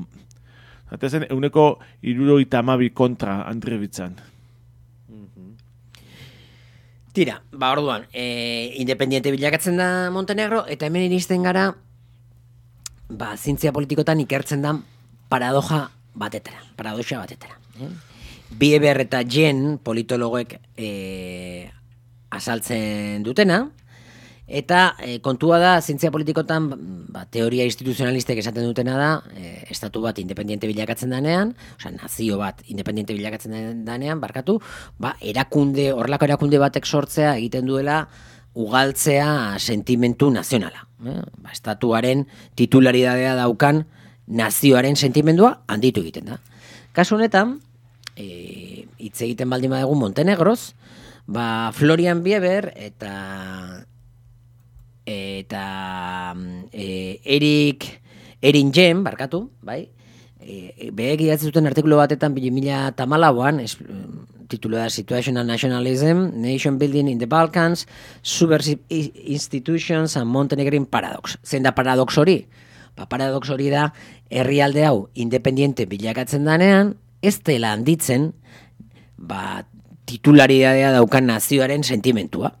zatezen, 172 kontra Andrevitzan. Tira, orduan, independiente bilakatzen da Montenegro, eta hemen iristen gara zientzia politikotan ikertzen da paradoxa batetara. Bieber eta Jen politologoek azaltzen dutena, eta kontua da, zientzia politikotan, teoria instituzionalistek esaten dutena da, estatu bat independiente bilakatzen danean, nazio bat independiente bilakatzen danean, horrelako erakunde batek sortzea egiten duela ugaltzea sentimentu nazionala. Estatuaren titularidadea daukan nazioaren sentimendua handitu egiten da. Kasu honetan, hitz egiten baldin badugu Montenegroz, Florian Bieber eta Erin Jen, bai? Behek idatzi zuten artikulu batetan 2014an, titulu da Situational Nationalism, Nation Building in the Balkans, Subversive Institutions and Montenegrin Paradox. Zein da paradox hori? Paradox hori da, herrialde hau independiente bilakatzen danean, ez dela handitzen, titularidadea daukan nazioaren sentimentua.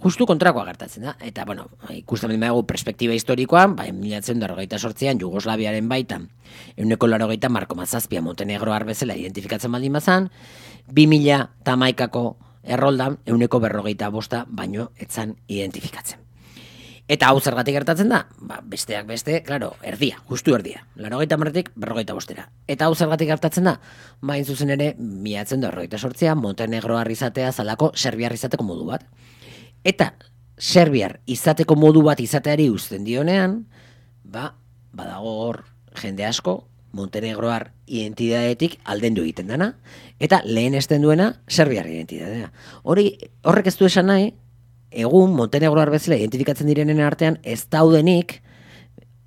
Justu kontrakoa gertatzen da. Eta, ikusten dugu perspektiba historikoan, 1998an Jugoslaviaren baitan, 180,7 Montenegroar bezala identifikatzen baldin bazan, 2011ko erroldan 145 baino etzan identifikatzen. Eta hau zergatik gertatzen da? Besteak beste, erdia, justu erdia. 90tik 45. Eta hau zergatik gertatzen da? Hain zuzen ere, 1998an Montenegroar izatea zalako serbiar izateko modu bat. Eta serbiar izateko modu bat izateari uzten dionean, badago hor jende asko Montenegroar identidadetik aldendu egiten dana, eta lehen esten duena serbiar identidadea. Horrek ez du esan nahi, egun Montenegroar bezala identifikatzen direnen artean ez daudenik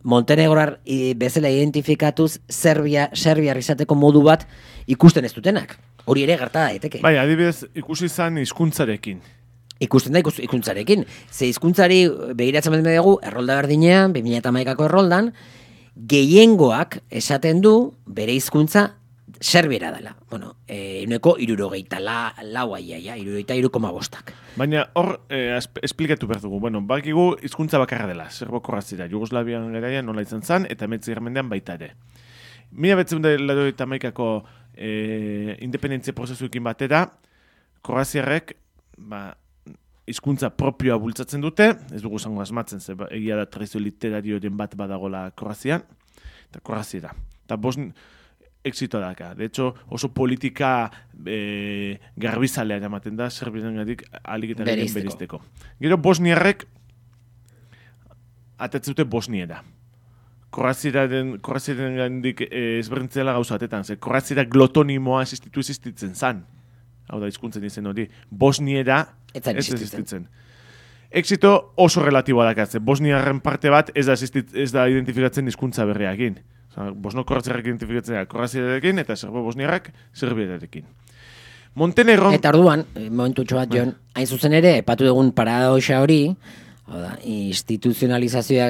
Montenegroar bezala identifikatuz serbiar izateko modu bat ikusten ez dutenak. Hori ere gerta daiteke. Bai, adibidez ikusi izan hizkuntzarekin. Ikusten da hizkuntzarekin. Ze hizkuntzari begiratzen baldin dugu errolda berdinean, 2011ko erroldan, gehiengoak esaten du bere hizkuntza serbiera dela. 73,5. Baina hor esplikatu behar dugu. Bakigu hizkuntza bakarra dela, serbo-kroazia. Jugoslavian garaian nola izan zen, eta 19. mendean baita ere. 1981ko independentzia prozesuekin batera, kroaziarrek hizkuntza propioa bultzatzen dute, ez dugu zango asmatzen, egia da tradizio literarioren bat badagola Kroazian, eta Kroazia da. Eta exito daka. De hecho, oso politika garbizalea ematen da, serbiarengatik ahalik eta gehien beristeko. Gero bosniarrek atetzen dute bosniera. Kroaziaren gandik ezberdintzela gauza batetan, Kroaziera glotonimoa existitzen zan. Hau da, hizkuntzen izen hori, bosniera ez existitzen. Exito oso relatiboa dakatze. Bosniarren parte bat ez da identifikatzen hizkuntza berriakin. Bosno-kroaziarrak identifikatzen da kroaziarekin eta serbo-bosniarrak serbiarekin. Montenegron... Eta orduan, momentutxo bat, Jon, hain zuzen ere, epatu dugun paradoxa hori, instituzionalizazioa,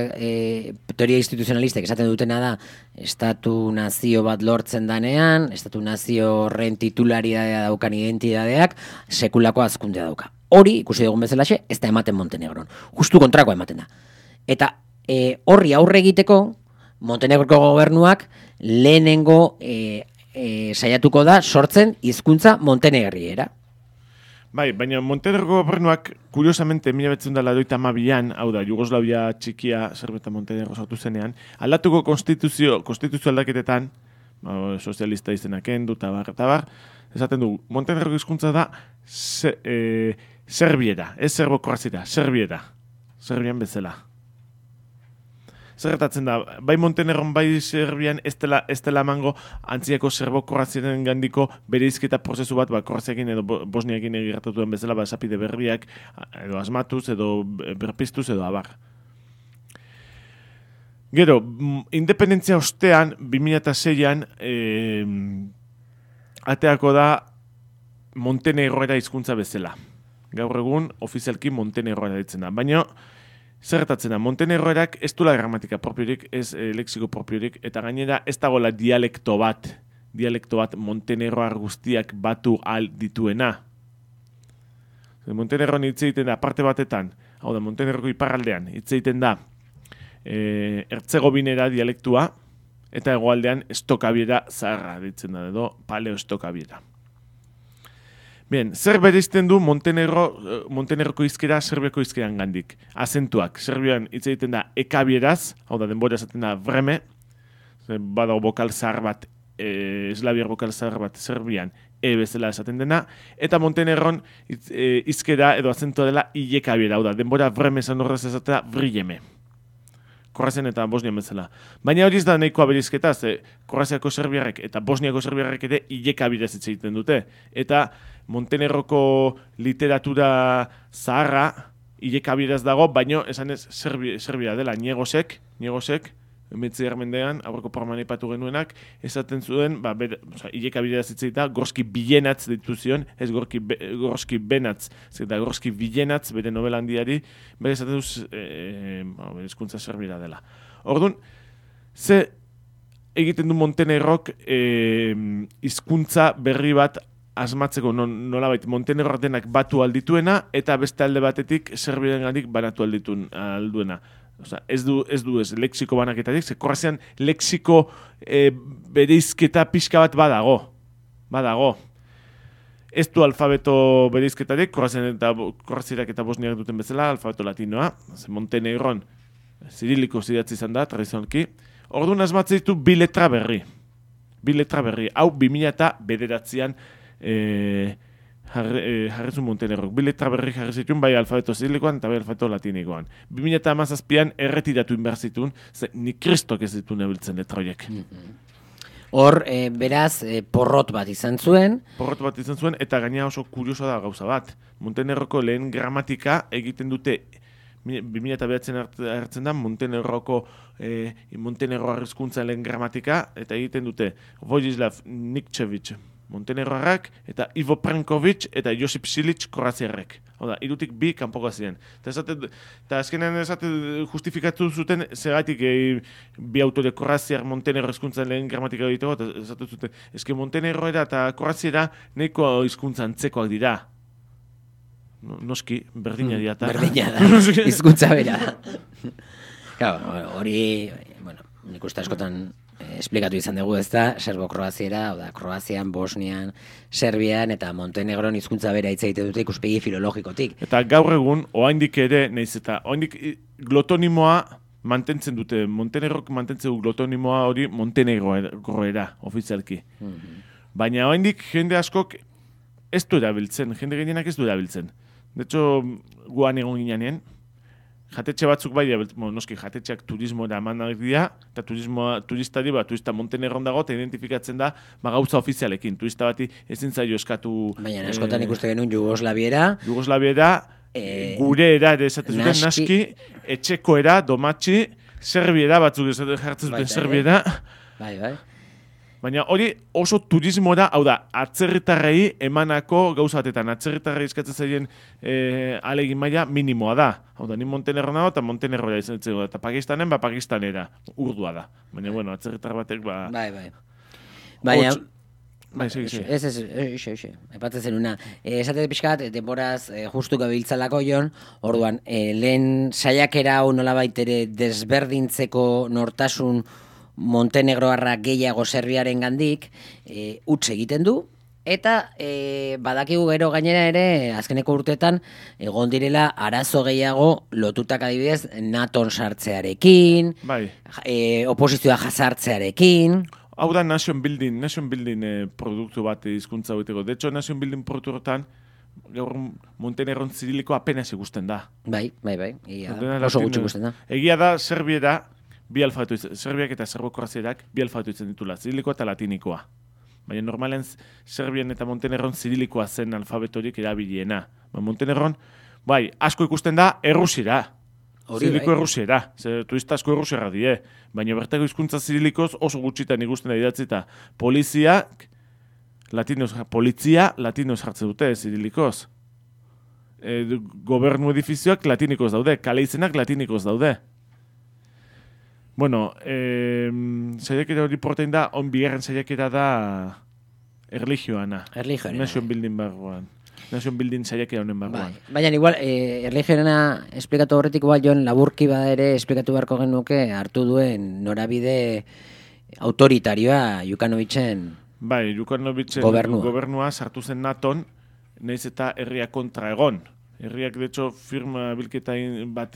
teoria instituzionalistek esaten dutena da, estatu-nazio bat lortzen danean, estatu-nazio horren titularidadea daukan identidadeak, sekulako azkundea dauka. Hori, ikusi dugun bezalaxe, ez da ematen Montenegron. Justu kontrakoa ematen da. Eta horri aurre egiteko, Montenegroko gobernuak lehenengo saiatuko da sortzen hizkuntza montenegriera. Bai, baina Montenegro gobernuak, kuriosamente, 1982an, hau da, Jugoslavia txikia, Serbia eta Montenegro sortu zenean, aldatuko konstituzio aldaketetan, sozialista izenak endu, tabar, esaten du, Montenegro hizkuntza da serbiera, ez serbo-kroazia, serbiera, serbian bezala. Zerretatzen da, bai Montenegron, bai Serbian ez dela emango antziako serbo-kroaziaren gandiko bereizketa prozesu bat, kroaziakin edo bosniakin egiratutuen bezala, esapide berriak, edo asmatuz, edo berpiztuz, edo abar. Gero, independentzia ostean, 2006an, ateako da Montenegroera hizkuntza bezala. Gaur egun, ofizialki Montenegroera ditzen da. Baina, zerretatzen da, Montenegroerak ez duela gramatika propiorik, ez lexiko propiorik, eta gainera ez dagoela dialekto bat Montenegroar guztiak batu al dituena. Montenegron hitz egiten da, parte batetan, hau da, Montenegroko iparraldean, hitz egiten da, Hertzegovinera dialektua, eta hegoaldean estokabiera zaharra ditzen da, edo paleo estokabiera. Bien, zer bereizten du Montenegroko hizkera Serbiako hizkeran gandik? Azentuak, Serbian hitz egiten da ekabieraz, hau da denbora esaten da vreme, badago bokal zahar bat, eslabiar bokal zahar bat Serbian bezala esaten dena, eta Montenegron hizkera edo azentua dela ilekabiera, hau da denbora vreme esan horrez esatea vrijeme. Kroazian eta Bosnian bezala. Baina hori ez da nahikoa berizketa, Kroaziako serbiarrek eta Bosniako serbiarrek ere ilekabidez hitz egiten dute. Eta Montenegroko literatura zaharra ilekabidez dago, baino esan ez Serbia dela Niegosek, Emetzi mendean, aurreko programan aipatu genuenak, esaten zuen, ilekabidez hitz egita, Gorski Bilenatz ditu zion, ez Gorski Benatz, eta Gorski Bilenatz, bere novela handiari, bere esaten duz, bere hizkuntza serbira dela. Orduan, ze egiten du Montenegrok hizkuntza berri bat asmatzeko nolabait Montenegro denak batu aldituena, eta beste alde batetik Serbiarengatik banatu alduena. Osa, ez du lexiko banaketatik, ze Kroazian lexiko bereizketa pixka bat badago. Ez du alfabeto bereizketatik, Kroaziak eta Bosniak duten bezala, alfabeto latinoa, ze Montenegron ziriliko zidatzi izan da, tradizionalki. Orduan asmatzen ditu bi letra berri. Hau 2009an jarrezu Montenegrok. Bi letra berri jarri zituen, bai alfabeto zirilikoan eta bai alfabeto latinikoan. 2017an erretiratu inbehar zituen, ni kristok ez dituen ebiltzen letra horiek. Hor, beraz, porrot bat izan zuen, eta gaina oso kurioso da gauza bat. Montenegroko lehen gramatika egiten dute 2009an hartzen da Montenegro hizkuntza lehen gramatika, eta egiten dute Vojislav Nikčević Montenegroarrak, eta Ivo Pranković eta Josip Silić kroaziarrek. Hau da, irutik bi kanpoko ziren. Eta azkenean justifikatu zuten zergatik bi autore kroaziar Montenegro hizkuntzan lehen gramatika egiteko, eta esaten zuten, eske Montenegroera eta kroaziera nahiko hizkuntza antzekoak dira. Noski, berdina dira. Berdina da, hizkuntza bera. Hori, nik uste askotan esplikatu izan dugu, ez da, serbo-kroaziera, Kroazian, Bosnian, Serbian eta Montenegron hizkuntza bera hitz egiten dute ikuspegi filologikotik. Eta gaur egun, oraindik ere, naiz eta oraindik glotonimoa mantentzen dute, Montenegrok mantentzen du glotonimoa hori Montenegroera, ofizialki. Baina oraindik jende askok ez du erabiltzen, jende gehienak ez du erabiltzen. De hecho, guan egon ginean, jatetxe batzuk bai, noski jatetxeak turismoera emanak dira, eta turista Montenegron dago, eta identifikatzen da gauza ofizialekin. Turista bati ezin zaio eskatu... Baina, askotan ikuste genuen Jugoslaviera, gureera ere esaten zuten, naski, etxekoera, domatxi, serbiera, batzuk jartzen zuten serbiera. Bai. Baina hori oso turismora, hau da, atzerritarrei emanako gauza batetan, atzerritarrei eskatzen zaien ahalegin maila minimoa da. Hau da, ni Montenegro nago eta Montenegrora izan dugu, eta Pakistanen, Pakistanera, urdua da. Baina, atzerritar batek, Bai. Baina... Bai, segi. Ez. Aipatzen zenuna. Esatez pixkat, denboraz justu gabiltzalako jon, orduan, lehen saiakera hau nolabait ere desberdintzeko nortasun Montenegroarra gehiago Serbiaren gandik huts egiten du, eta badakigu gero gainera ere azkeneko urteetan egon direla arazo gehiago lotutak adibidez NATOn sartzearekin, oposizioa jasartzearekin. Hau da nation building produktu bat hizkuntza haueteko. De hecho, nation building produktuetan gaur Montenegron ziriliko apenas ikusten da. Bai. Oso gutxi ikusten da. Egia da Serbiera bi alfabeto, Serbiak eta Serbo-Kroazierak bi alfabeto itzen ditula, zirilikoa eta latinikoa. Baina normalen Serbian eta Montenegron zirilikoa zen alfabetorik erabiliena. Montenegron, asko ikusten da errusiera. Ziriliko errusiera. Turista asko errusiera die. Baina bertako hizkuntza zirilikoz oso gutxitan ikusten da idatzita. Polizia latinoz jartzen dute zirilikoz. Gobernu edifizioak latinikoz daude. Kale izenak latinikoz daude. Saiakera hori portain da, bigarren saiakera da erlijioana. Nation building barruan. nation building saiakera honen barruan. Baina igual, erlijioarena esplikatu horretik igual joan laburki bada ere esplikatu beharko genuke hartu duen norabide autoritarioa Jukanovitzen Bai, Jukanovitzen gobernua sartu zen Naton, nahiz eta herria kontra egon. Herriak, de hecho, firma bilketa bat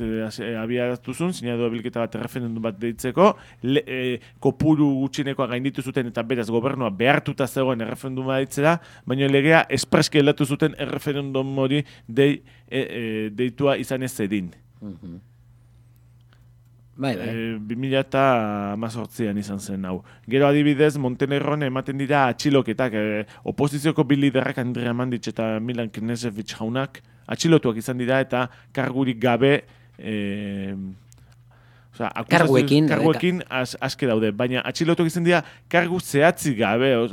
abiatu zuen, sinadu bilketa bat referendum bat deitzeko, kopuru gutxinekoa gainditu zuten eta beraz gobernua behartuta zegoen erreferenduma deitzera, baina legea espreski aldatu zuten erreferendum hori deitua izan ez zedin. 2018an izan zen hau. Gero adibidez, Montenegron ematen dira atxiloketak, oposizioko bi liderrak Andrea Mandic eta Milan Knežević jaunak atxilotuak izan dira eta kargurik gabe karguekin aske daude, baina atxilotuak izan dira kargu zehatzik gabe,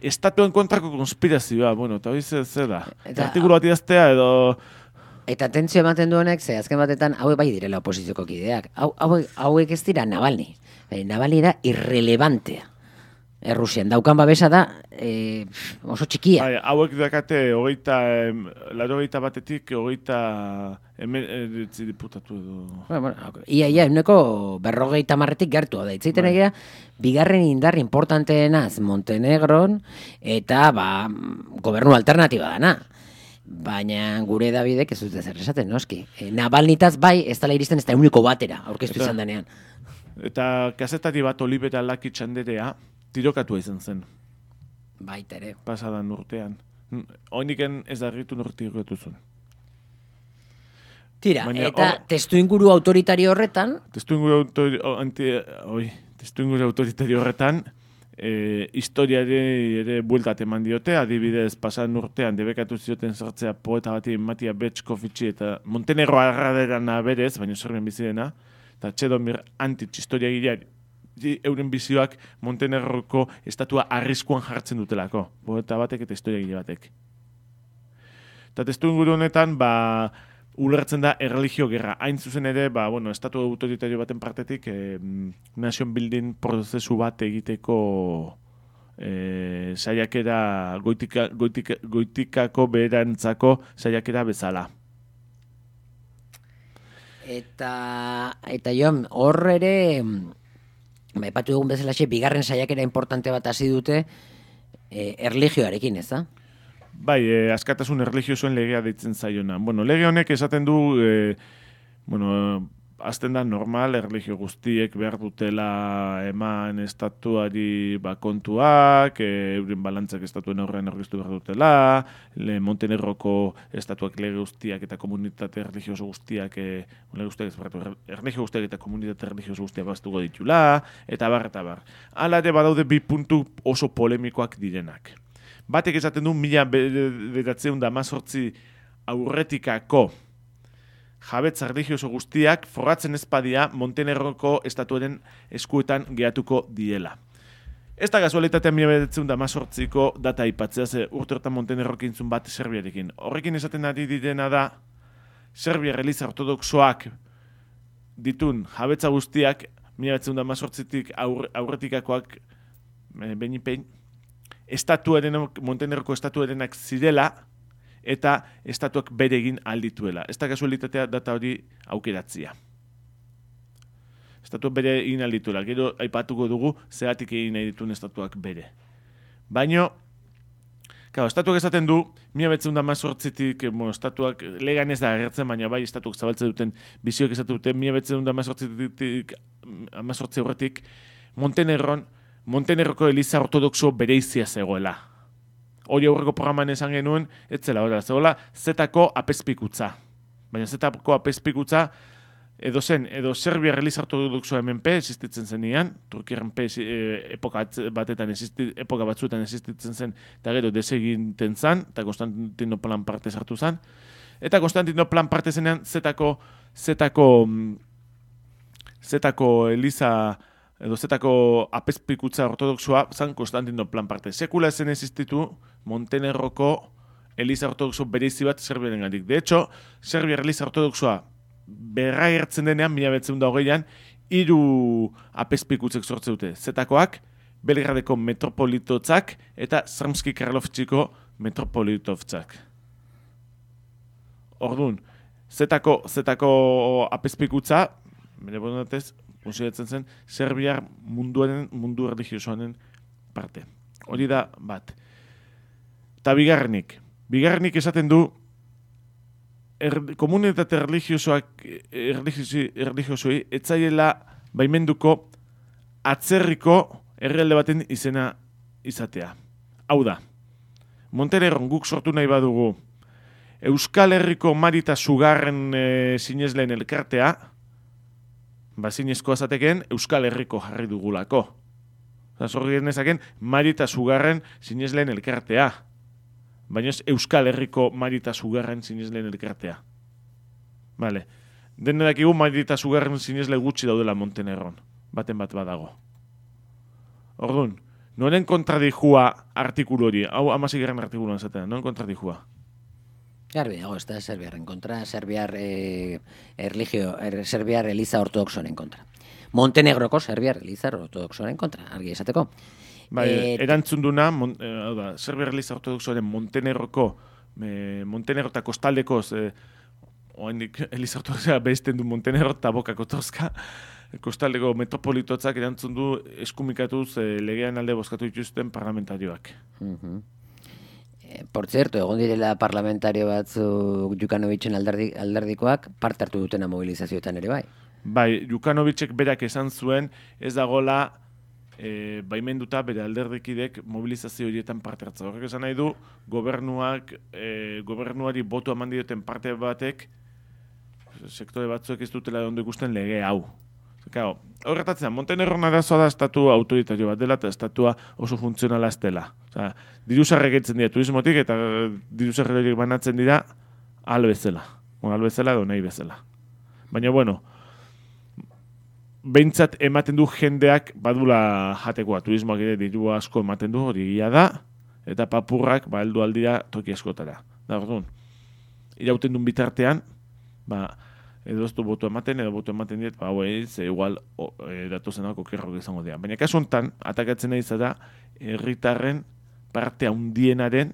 estatuen kontrako konspirazioa, bueno, eta hori zer da. Artikulu bat idaztea edo... Eta tentzio ematen duenek, ze azken batetan hauek bai direla oposizioko kideak. Hauek ez dira Navalny. Navalny da irrelevantea. Errusian daukan babesa da oso txikia. Bai, hauek dakate 80 batetik 80 diputatu edo... Ia, uneko 50 gertu da. Itzaiten egia, bigarren indar importanteenaz Montenegron eta gobernu alternatiba dana. Baina gure Davidek ez dute zer esaten, noski. Navalnitaz bai, ez dela iristen ez da uniko batera, aurkeztu izan denean. Eta kazetari bat Olivera Laki Txanderea tirokatua izan zen. Baita ere. Pasadan urtean. Oiniken ez da erritu nortirokatu zuen. Tira, baina, eta testu inguru autoritario horretan... Testu inguru autoritario horretan... historiari ere bueltat eman diote, adibidez pasan urtean debekatu zioten sartzea poeta bati Matija Bečkovići eta Montenegro arraderana berez, baina Serbian bizidena, eta Čedomir Antić historiagileak euren bizioak Montenegroko estatua arriskuan jartzen dutelako, poeta batek eta historiagile batek. Eta testu inguru honetan, ulertzen da erreligio gerra. Hain zuzen ere, estatu autoritario baten partetik nation building prozesu bat egiteko saiakera goitikako beherantzako saiakera bezala. Eta Jon, hor ere epatu dugun bezalaxe, bigarren saiakera importante bat hasi dute erlijioarekin, ez da? Bai, askatasun erlijiosoen legea deitzen zaiona. Bueno, lege honek esaten du, azten da normal, erlijio guztiek behar dutela eman estatuari kontuak, euren balantzak estatuen aurrean aurkeztu behar dutela, Montenegroko estatuak lege guztiak eta komunitate erlijioso guztiak, erlijio guztiak eta komunitate erlijioso guztiak baztuko ditula, eta bar. Hala ere badaude bi puntu oso polemikoak direnak. Batek esaten du 1918 aurretikako jabetza erlijioso guztiak forratzen ezpadia Montenegroko estatuaren eskuetan gehatuko diela. Ez da gazualitatea 1918ko data aipatzea, ze urte hortan Montenegrok intzun bat Serbiarekin. Horrekin esaten ari direna da, Serbia Eliza Ortodoxoak ditun jabetza guztiak 1918tik aurretikakoak behin Montenegroko estatuarenak zirela eta estatuak bere egin aldituela. Ez da kasualitatea data hori aukeratzia. Estatuak bere egin aldituela. Gero aipatuko dugu zeratik egin nahi dituen estatuak bere. Baina, estatuak esaten du, 1918tik, estatuak legan ez da agertzen, baina bai estatuak zabaltzen duten bizioek esatu duten, 1918tik aurretik Montenegroko Eliza Ortodoxo bereizia zegoela. Hori aurreko programan esan genuen, ez zela hori, zegoela zetako apezpikutza. Baina zetako apezpikutza edo Serbia Eliza Ortodoxoa MNP existitzen zenian, Turkiaren epoka batzuetan existitzen zen, eta gero deseginten zen, eta Konstantinoplan parte sartu zen. Eta Konstantinoplan parte zenean zetako Eliza edo zetako apezpikutza ortodoxoa zan Konstantinoplan parte. Sekula ezen existitu Montenegroko Eliza Ortodoxo bereizi bat Serbiaren gandik. De hecho, Serbia Eliza Ortodoxoa berragertzen denean, 1920an, 3 apezpikutzek sortze dute. Zetakoak, Belgradeko metropolitotzak eta Sremski Karlovčiko metropolitovtzak. Orduan, zetako apezpikutza, bere bodatez, konsideratzen zen, Serbiar mundu erlijiosoaren parte. Hori da bat. Eta bigarrenik esaten du, komunitate erlijiosoi etzaiela baimenduko atzerriko herrialde baten izena izatea. Hau da, Montenegron guk sortu nahi badugu Euskal Herriko Marita Sugarren sinesleen elkartea, zinezkoa zateken Euskal Herriko jarri dugulako. Zorri genezaken Marita Sugarren sinesleen elkartea. Baina ez Euskal Herriko Marita Sugarren sinesleen elkartea. Vale. Den dakigu Marita Sugarren sinesle gutxi daudela Montenegron. Baten bat badago. Orduan, noren kontradijua artikulu hori? Hau 16. artikuluan zaten, noren kontradijua? Garbi dago, ez da Serbiarren kontra, Serbiar Eliza Ortodoxoren kontra. Montenegroko Serbiar Eliza Ortodoxoren kontra, argi esateko. Erantzun duna, Serbiar Eliza Ortodoxoren Montenegro eta kostaldekoz, oendik Eliza Ortodoxoa behizten du Montenegro eta Bokako Toska, kostaldeko metropolitotzak erantzun du eskumikatuz legean alde bozkatu dituzten parlamentarioak. Por cierto, egon direla parlamentario batzuk Jukanovitzen alderdikoak parte hartu dutena mobilizazioetan ere bai. Bai, Jukanovicek berak esan zuen ez dagola baimenduta bere alderdikidek mobilizazio horietan parte hartza. Horrek esan nahi du gobernuari botu eman dioten parte batek sektore batzuek ez dutela ondo ikusten lege hau. Horretatzen, Montenegron arazoa da estatu autoritario bat dela eta estatua oso funtzionala ez dela. Diruzarrek etzen dira turismotik eta diruzarrek banatzen dira albezela. Albezela edo nahi bezala. Baina, bueno, behintzat ematen du jendeak badula jatekoa. Turismoak ere diru asko ematen du, hori gila da, eta papurrak heldu aldira toki askotara. Da, orduan, irauten duen bitartean, edo ez du botu ematen, edo botu ematen diet, igual datozenak okerrok izango dira. Baina kasu honetan, atakatzen nahi zara, herritarren parte handienaren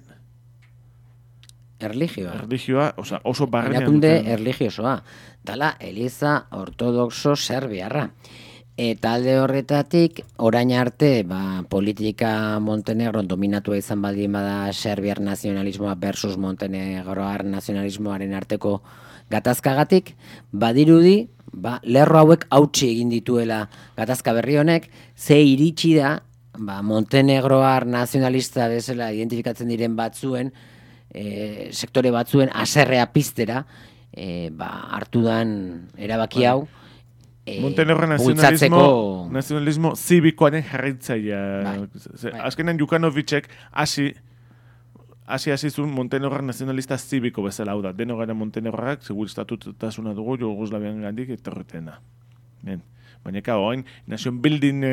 erlijioa, oso barrenean erakunde erlijiosoa. Dala, Eliza Ortodoxo Serbiarra. Eta alde horretatik, orain arte, politika Montenegron dominatua izan baldin bada Serbiar nazionalismoa versus Montenegroar nazionalismoaren arteko gatazkagatik, badirudi, lerro hauek hautsi egin dituela gatazka berri honek, ze iritsi da, Montenegroar nazionalista bezala identifikatzen diren batzuen, sektore batzuen aserrea piztera, hartu dan erabaki hau, Montenegro nazionalismo zibikoaren jarraitzailea. Azkenan Jukanovicek hasi zuen Montenegro nazionalista zibiko bezala, hau da, deno gara Montenegroak, segur estatutasuna dugu, Jugoslavian gandik etorretena. Baina, oain, nation building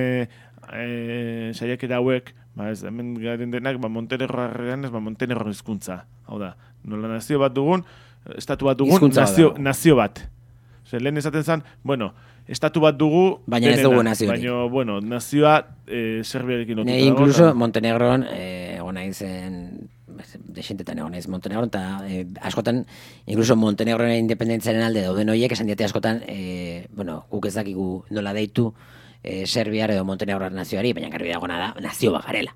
saiakera hauek, hemen garen denak, Montenegroarrean ez, Montenegro hizkuntza. Hau da, nola nazio bat dugun, estatu bat dugun, nazio bat. Lehen esaten zen, estatu bat dugu, baina ez dugu naziorik. Baina, nazioa Serbiarekin lotuta dago. Incluso Montenegron, egona izen, desentetan egon naiz Montenegron, eta askotan, incluso Montenegroen independentziaren alde dauden horiek, esan diate askotan, guk ez dakigu nola deitu Serbiar edo Montenegroar nazioari, baina garbi dagona da, nazio bagarela.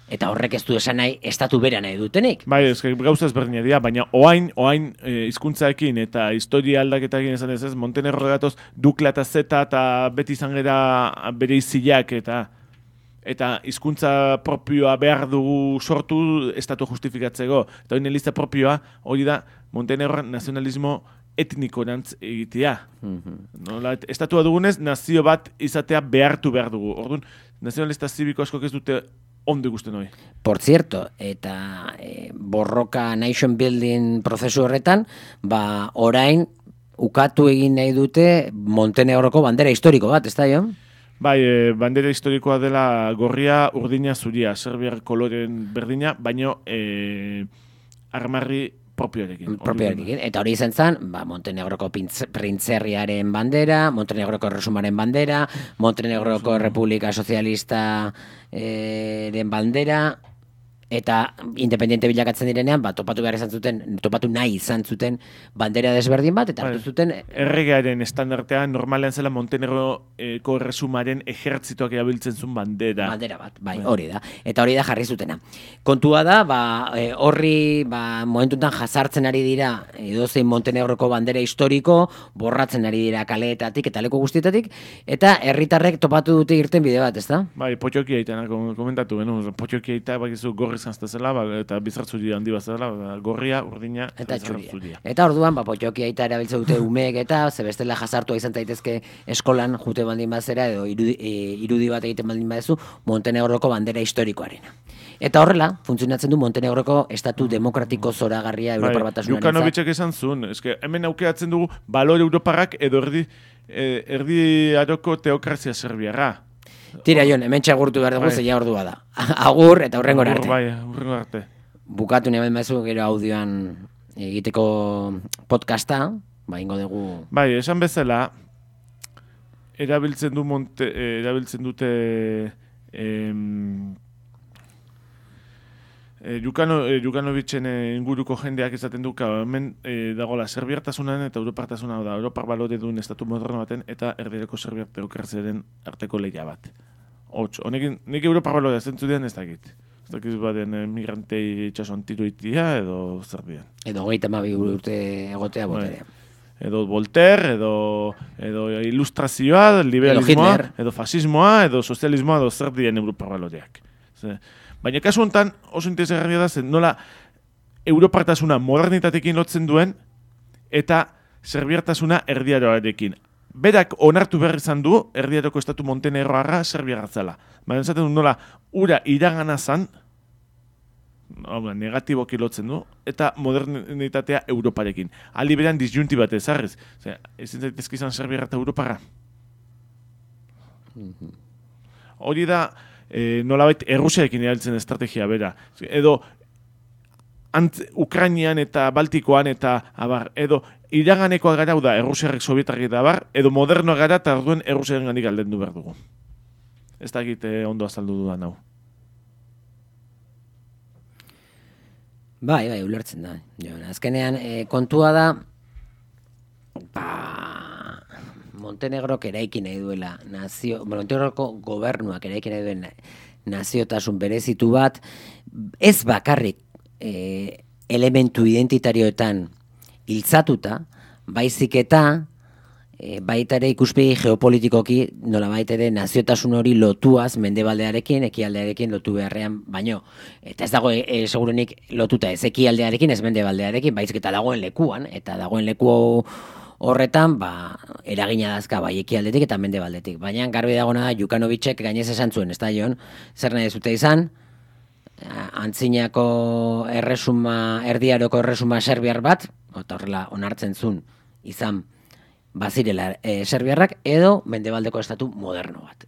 Eta horrek ez du esan nahi, estatu bera nahi dutenik. Gauza ezberdina dira, baina oain hizkuntzaekin eta historia aldaketakin esan ez, Montenegro gatoz Dukla eta Zeta eta beti izan gara bere izilak eta hizkuntza propioa behar dugu sortu estatu justifikatzeko. Eta hori eliza propioa, hori da Montenegro nazionalismo etnikorantz egitea. Estatua dugunez, nazio bat izatea behartu behar dugu. Orduan, nazionalista zibiko askok ez dute ondo ikusten hori. Por cierto, eta borroka nation building prozesu horretan, orain ukatu egin nahi dute Montenegroko bandera historiko bat, ez da jo? Bai, bandera historikoa dela gorria, urdina, zuria, Serbiar koloren berdina, baino armarri propioarekin. Eta hori izan zen, Montenegroko printzerriaren bandera, Montenegroko Erresumaren bandera, Montenegroko Republika Sozialista den bandera, eta independiente bilakatzen direnean, topatu nahi izan zuten bandera desberdin bat, eta hartu zuten... Erregearen estandartean normalean zela Montenegroko erresumaren ejertzitoak erabiltzen zuen bandera. Bandera bat, bai, hori da. Eta hori da jarri zutena. Kontua da, horri momentuntan jazartzen ari dira edozein Montenegroko bandera historiko, borratzen ari dira kaleetatik eta leku guztietatik, eta herritarrek topatu dute irten bide bat, ezta? Bai, potxoki aitana komentatu, potxoki aita bakizu gorri zantztezela, eta bizartzuri handi bat zela, gorria, urdina, eta txuria. Eta orduan, potxoki aita erabiltzen dute umeek eta, zebestela jazartua izan daitezke eskolan jute baldin bazera, edo irudi bat egiten baldin badezu, Montenegroko bandera historikoarena. Eta horrela, funtzionatzen du Montenegroko estatu demokratiko zoragarria Europar Batasunaren. Jukanovicek esan zuen, hemen aukeratzen dugu balore europarrak edo erdi aroko teokrazia serbiarra. Tira, Jon, hemen txagurtu behar dugu, zeia ordua da. Agur eta hurrengora arte. Bai, hurrengora arte. Bukatu nahi maizu gero audioan egiteko podcasta, ingo dugu... Bai, esan bezala, erabiltzen dute Jukanovicen inguruko jendeak izaten du, hemen dagoela serbiartasunan eta europartasuna da, Europar balore duen estatu moderno baten eta erdireko serbiar teokraziaren arteko lehia bat. Honekin, nik Europar balore zentzu dian ez dakit. Ez dakit baden migrantei itxasoan tiro itia edo zer dian. Edo 32 urte egotea boterea. Edo Voltaire, edo ilustrazioa, liberalismoa, edo fasismoa, edo sozialismoa, edo zer dian Europar baloreak. Baina kasu honetan oso interesgarria da zen nola europartasuna modernitatekin lotzen duen eta serbiartasuna erdiaroarekin. Berak onartu behar izan du erdiaroko estatu Montenegroarra serbiarra zela. Baina esaten du nola ura iragana zan, negatiboki lotzen du, eta modernitatea Europarekin. Aldi beran disjunti bat ezarriz. Ezin zaitezke izan serbiarra eta Europarra. Hori da... nolabait Errusiarekin erabiltzen estrategia bera. Edo Ukrainian eta Baltikoan eta edo iraganekoa gara da Errusiarrek Sovietarrek eta edo modernoa gara eta orduen Errusiaren gandik aldendu behar dugu. Ez da egite ondo azaldu dudan hau. Bai, ulertzen da. Azkenean, kontua da Montenegrok eraiki nahi duela Montenegroko gobernuak eraiki nahi duen naziotasun berezitu bat, ez bakarrik elementu identitarioetan hiltzatuta, baizik eta baita ere ikuspegi geopolitikoki nola baita ere naziotasun hori lotuaz mendebaldearekin, ekialdearekin lotu beharrean baino. Eta ez dago segurenik lotuta ez ekialdearekin, ez mendebaldearekin, baizik eta dagoen lekuan, eta dagoen leku horretan, eragina dazka bai ekialdetik eta mendebaldetik. Baina garbi dagona da, Jukanovicek gainez esan zuen, ez da Jon, zer nahi zute izan, antzinako erdiaroko erresuma serbiar bat, eta horrela onartzen zuen izan bazirela serbiarrak, edo mendebaldeko estatu moderno bat.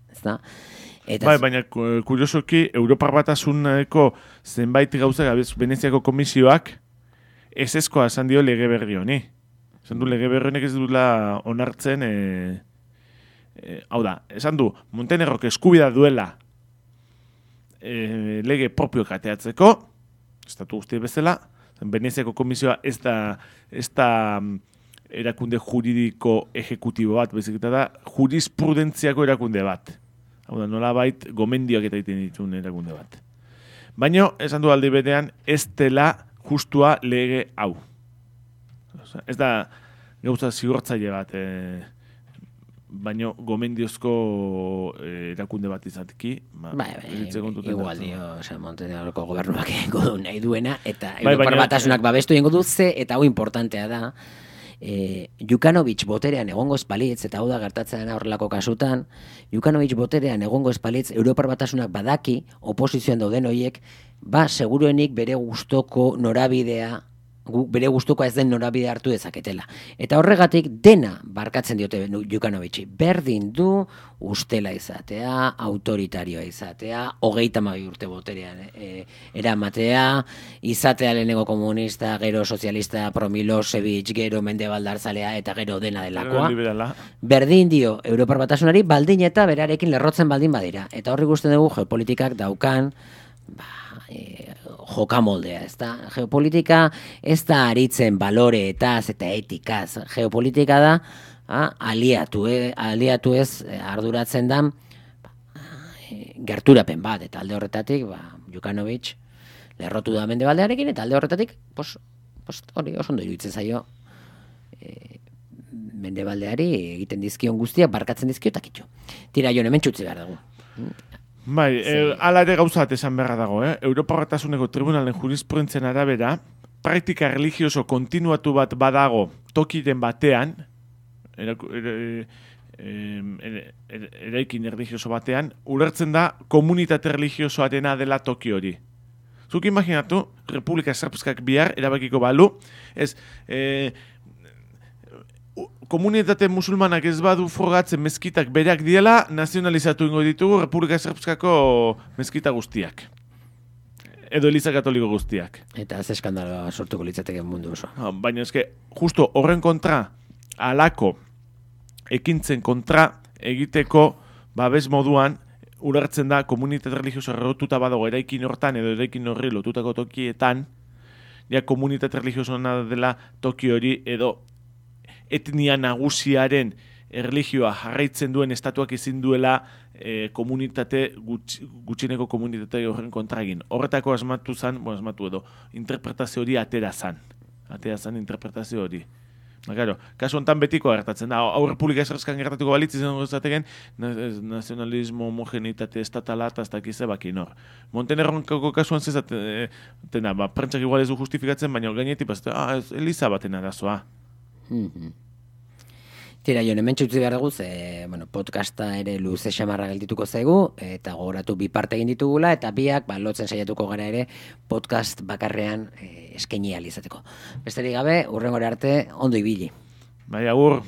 Bai, baina kuriosoki, Europar Batasuneko zenbait gauza Veneziako komisioak ezezkoa esan dio lege berri honi. Esan du, lege berrienek ez duela onartzen, hau da, esan du, Montenegrok eskubida duela lege propio kateatzeko, estatu guzti bezala, Veneziako komisioa ez da erakunde juridiko ejekutibo bat, bezik eta da, jurisprudentziako erakunde bat. Hau da, nola bait, gomendioak eta egiten dituen erakunde bat. Baina, esan du aldi berean, ez dela justua lege hau. Ez da gauza zigortzaile bat, baino gomendiozko erakunde bat izateki. Igual dio, Montenegroko gobernuak egingo du nahi duena, eta Europar Batasunak babestu egingo du eta hau importantea da. Jukanovic boterean egongo espalitz, eta hau da gertatzen horrelako kasutan, Jukanovic boterean egongo espalitz, Europar Batasunak badaki, oposizioan dauden horiek, seguruenik bere gustoko norabidea, bere gustukoa ez den norabide hartu dezaketela. Eta horregatik dena barkatzen diote Jukanovici. Berdin du ustela izatea, autoritarioa izatea, 32 urte boterean eramatea, izatea lehenengo komunista, gero sozialista, pro-Milosevic, gero mendebaldarzalea eta gero dena delakoa. Berdin dio Europar Batasunari baldin eta berarekin lerrotzen baldin badira. Eta horri guztien dugu geopolitikak daukan jokamoldea, ez da? Geopolitika ez da aritzen baloreetaz eta etikaz. Geopolitika da aliatu ez arduratzen da gerturapen bat, eta alde horretatik, Jukanovic lerrotu da Mendebaldearekin, eta alde horretatik, hori oso ondo iruditzen zaio Mendebaldeari egiten dizkion guztiak, barkatzen dizkio eta kitxo. Tira, Jon, hemen txutzi behar dugu. Bai, ala ere gauza bat esan beharra dago, Europa Batasuneko Tribunalen jurisprudentzien arabera, praktika religioso kontinuatu bat badago tokiren batean, eraikin religioso batean, ulertzen da komunitate religiosoarena dela toki hori. Zuk imaginatu, Republika Srpskak bihar erabakiko balu, komunitate musulmanak ez badu frogatzen mezkitak bereak diela, nazionalizatu ingo ditugu Republika Srpskako mezkita guztiak. Edo Eliza Katoliko guztiak. Eta ez eskandaloa sortuko litzateke mundu oso. Baina eske, justo horren kontra, alako ekintzen kontra egiteko babes moduan, ulertzen da komunitate religioso errotuta badago eraikin hortan edo eraikin horri lotutako tokietan, ja komunitate religioso dela toki hori edo etnia nagusiaren erlijioa jarraitzen duen estatuak ezin duela gutxieneko komunitate horren kontra egin. Horretako asmatu edo interpretazio hori atera zan interpretazio hori. Claro, kasu honetan betiko gertatzen da. Hau Republika Srpskan gertatuko balitz izango zateken nazionalismo, homogenitate, estatala eta ez dakize bakin hor. Montenegroko kasuan zezaten da, prentsak igual ez du justifikatzen, baina gainetik Eliza baten arazoa. Tira, Jon, hemen txutzi behar dugu, podcasta ere luze xamarra geldituko zaigu, eta gogoratu bi parte egin ditugula, eta biak lotzen saiatuko gara ere podcast bakarrean eskaini ahal izateko. Besterik gabe, hurrengora arte, ondo ibili. Bai, agur.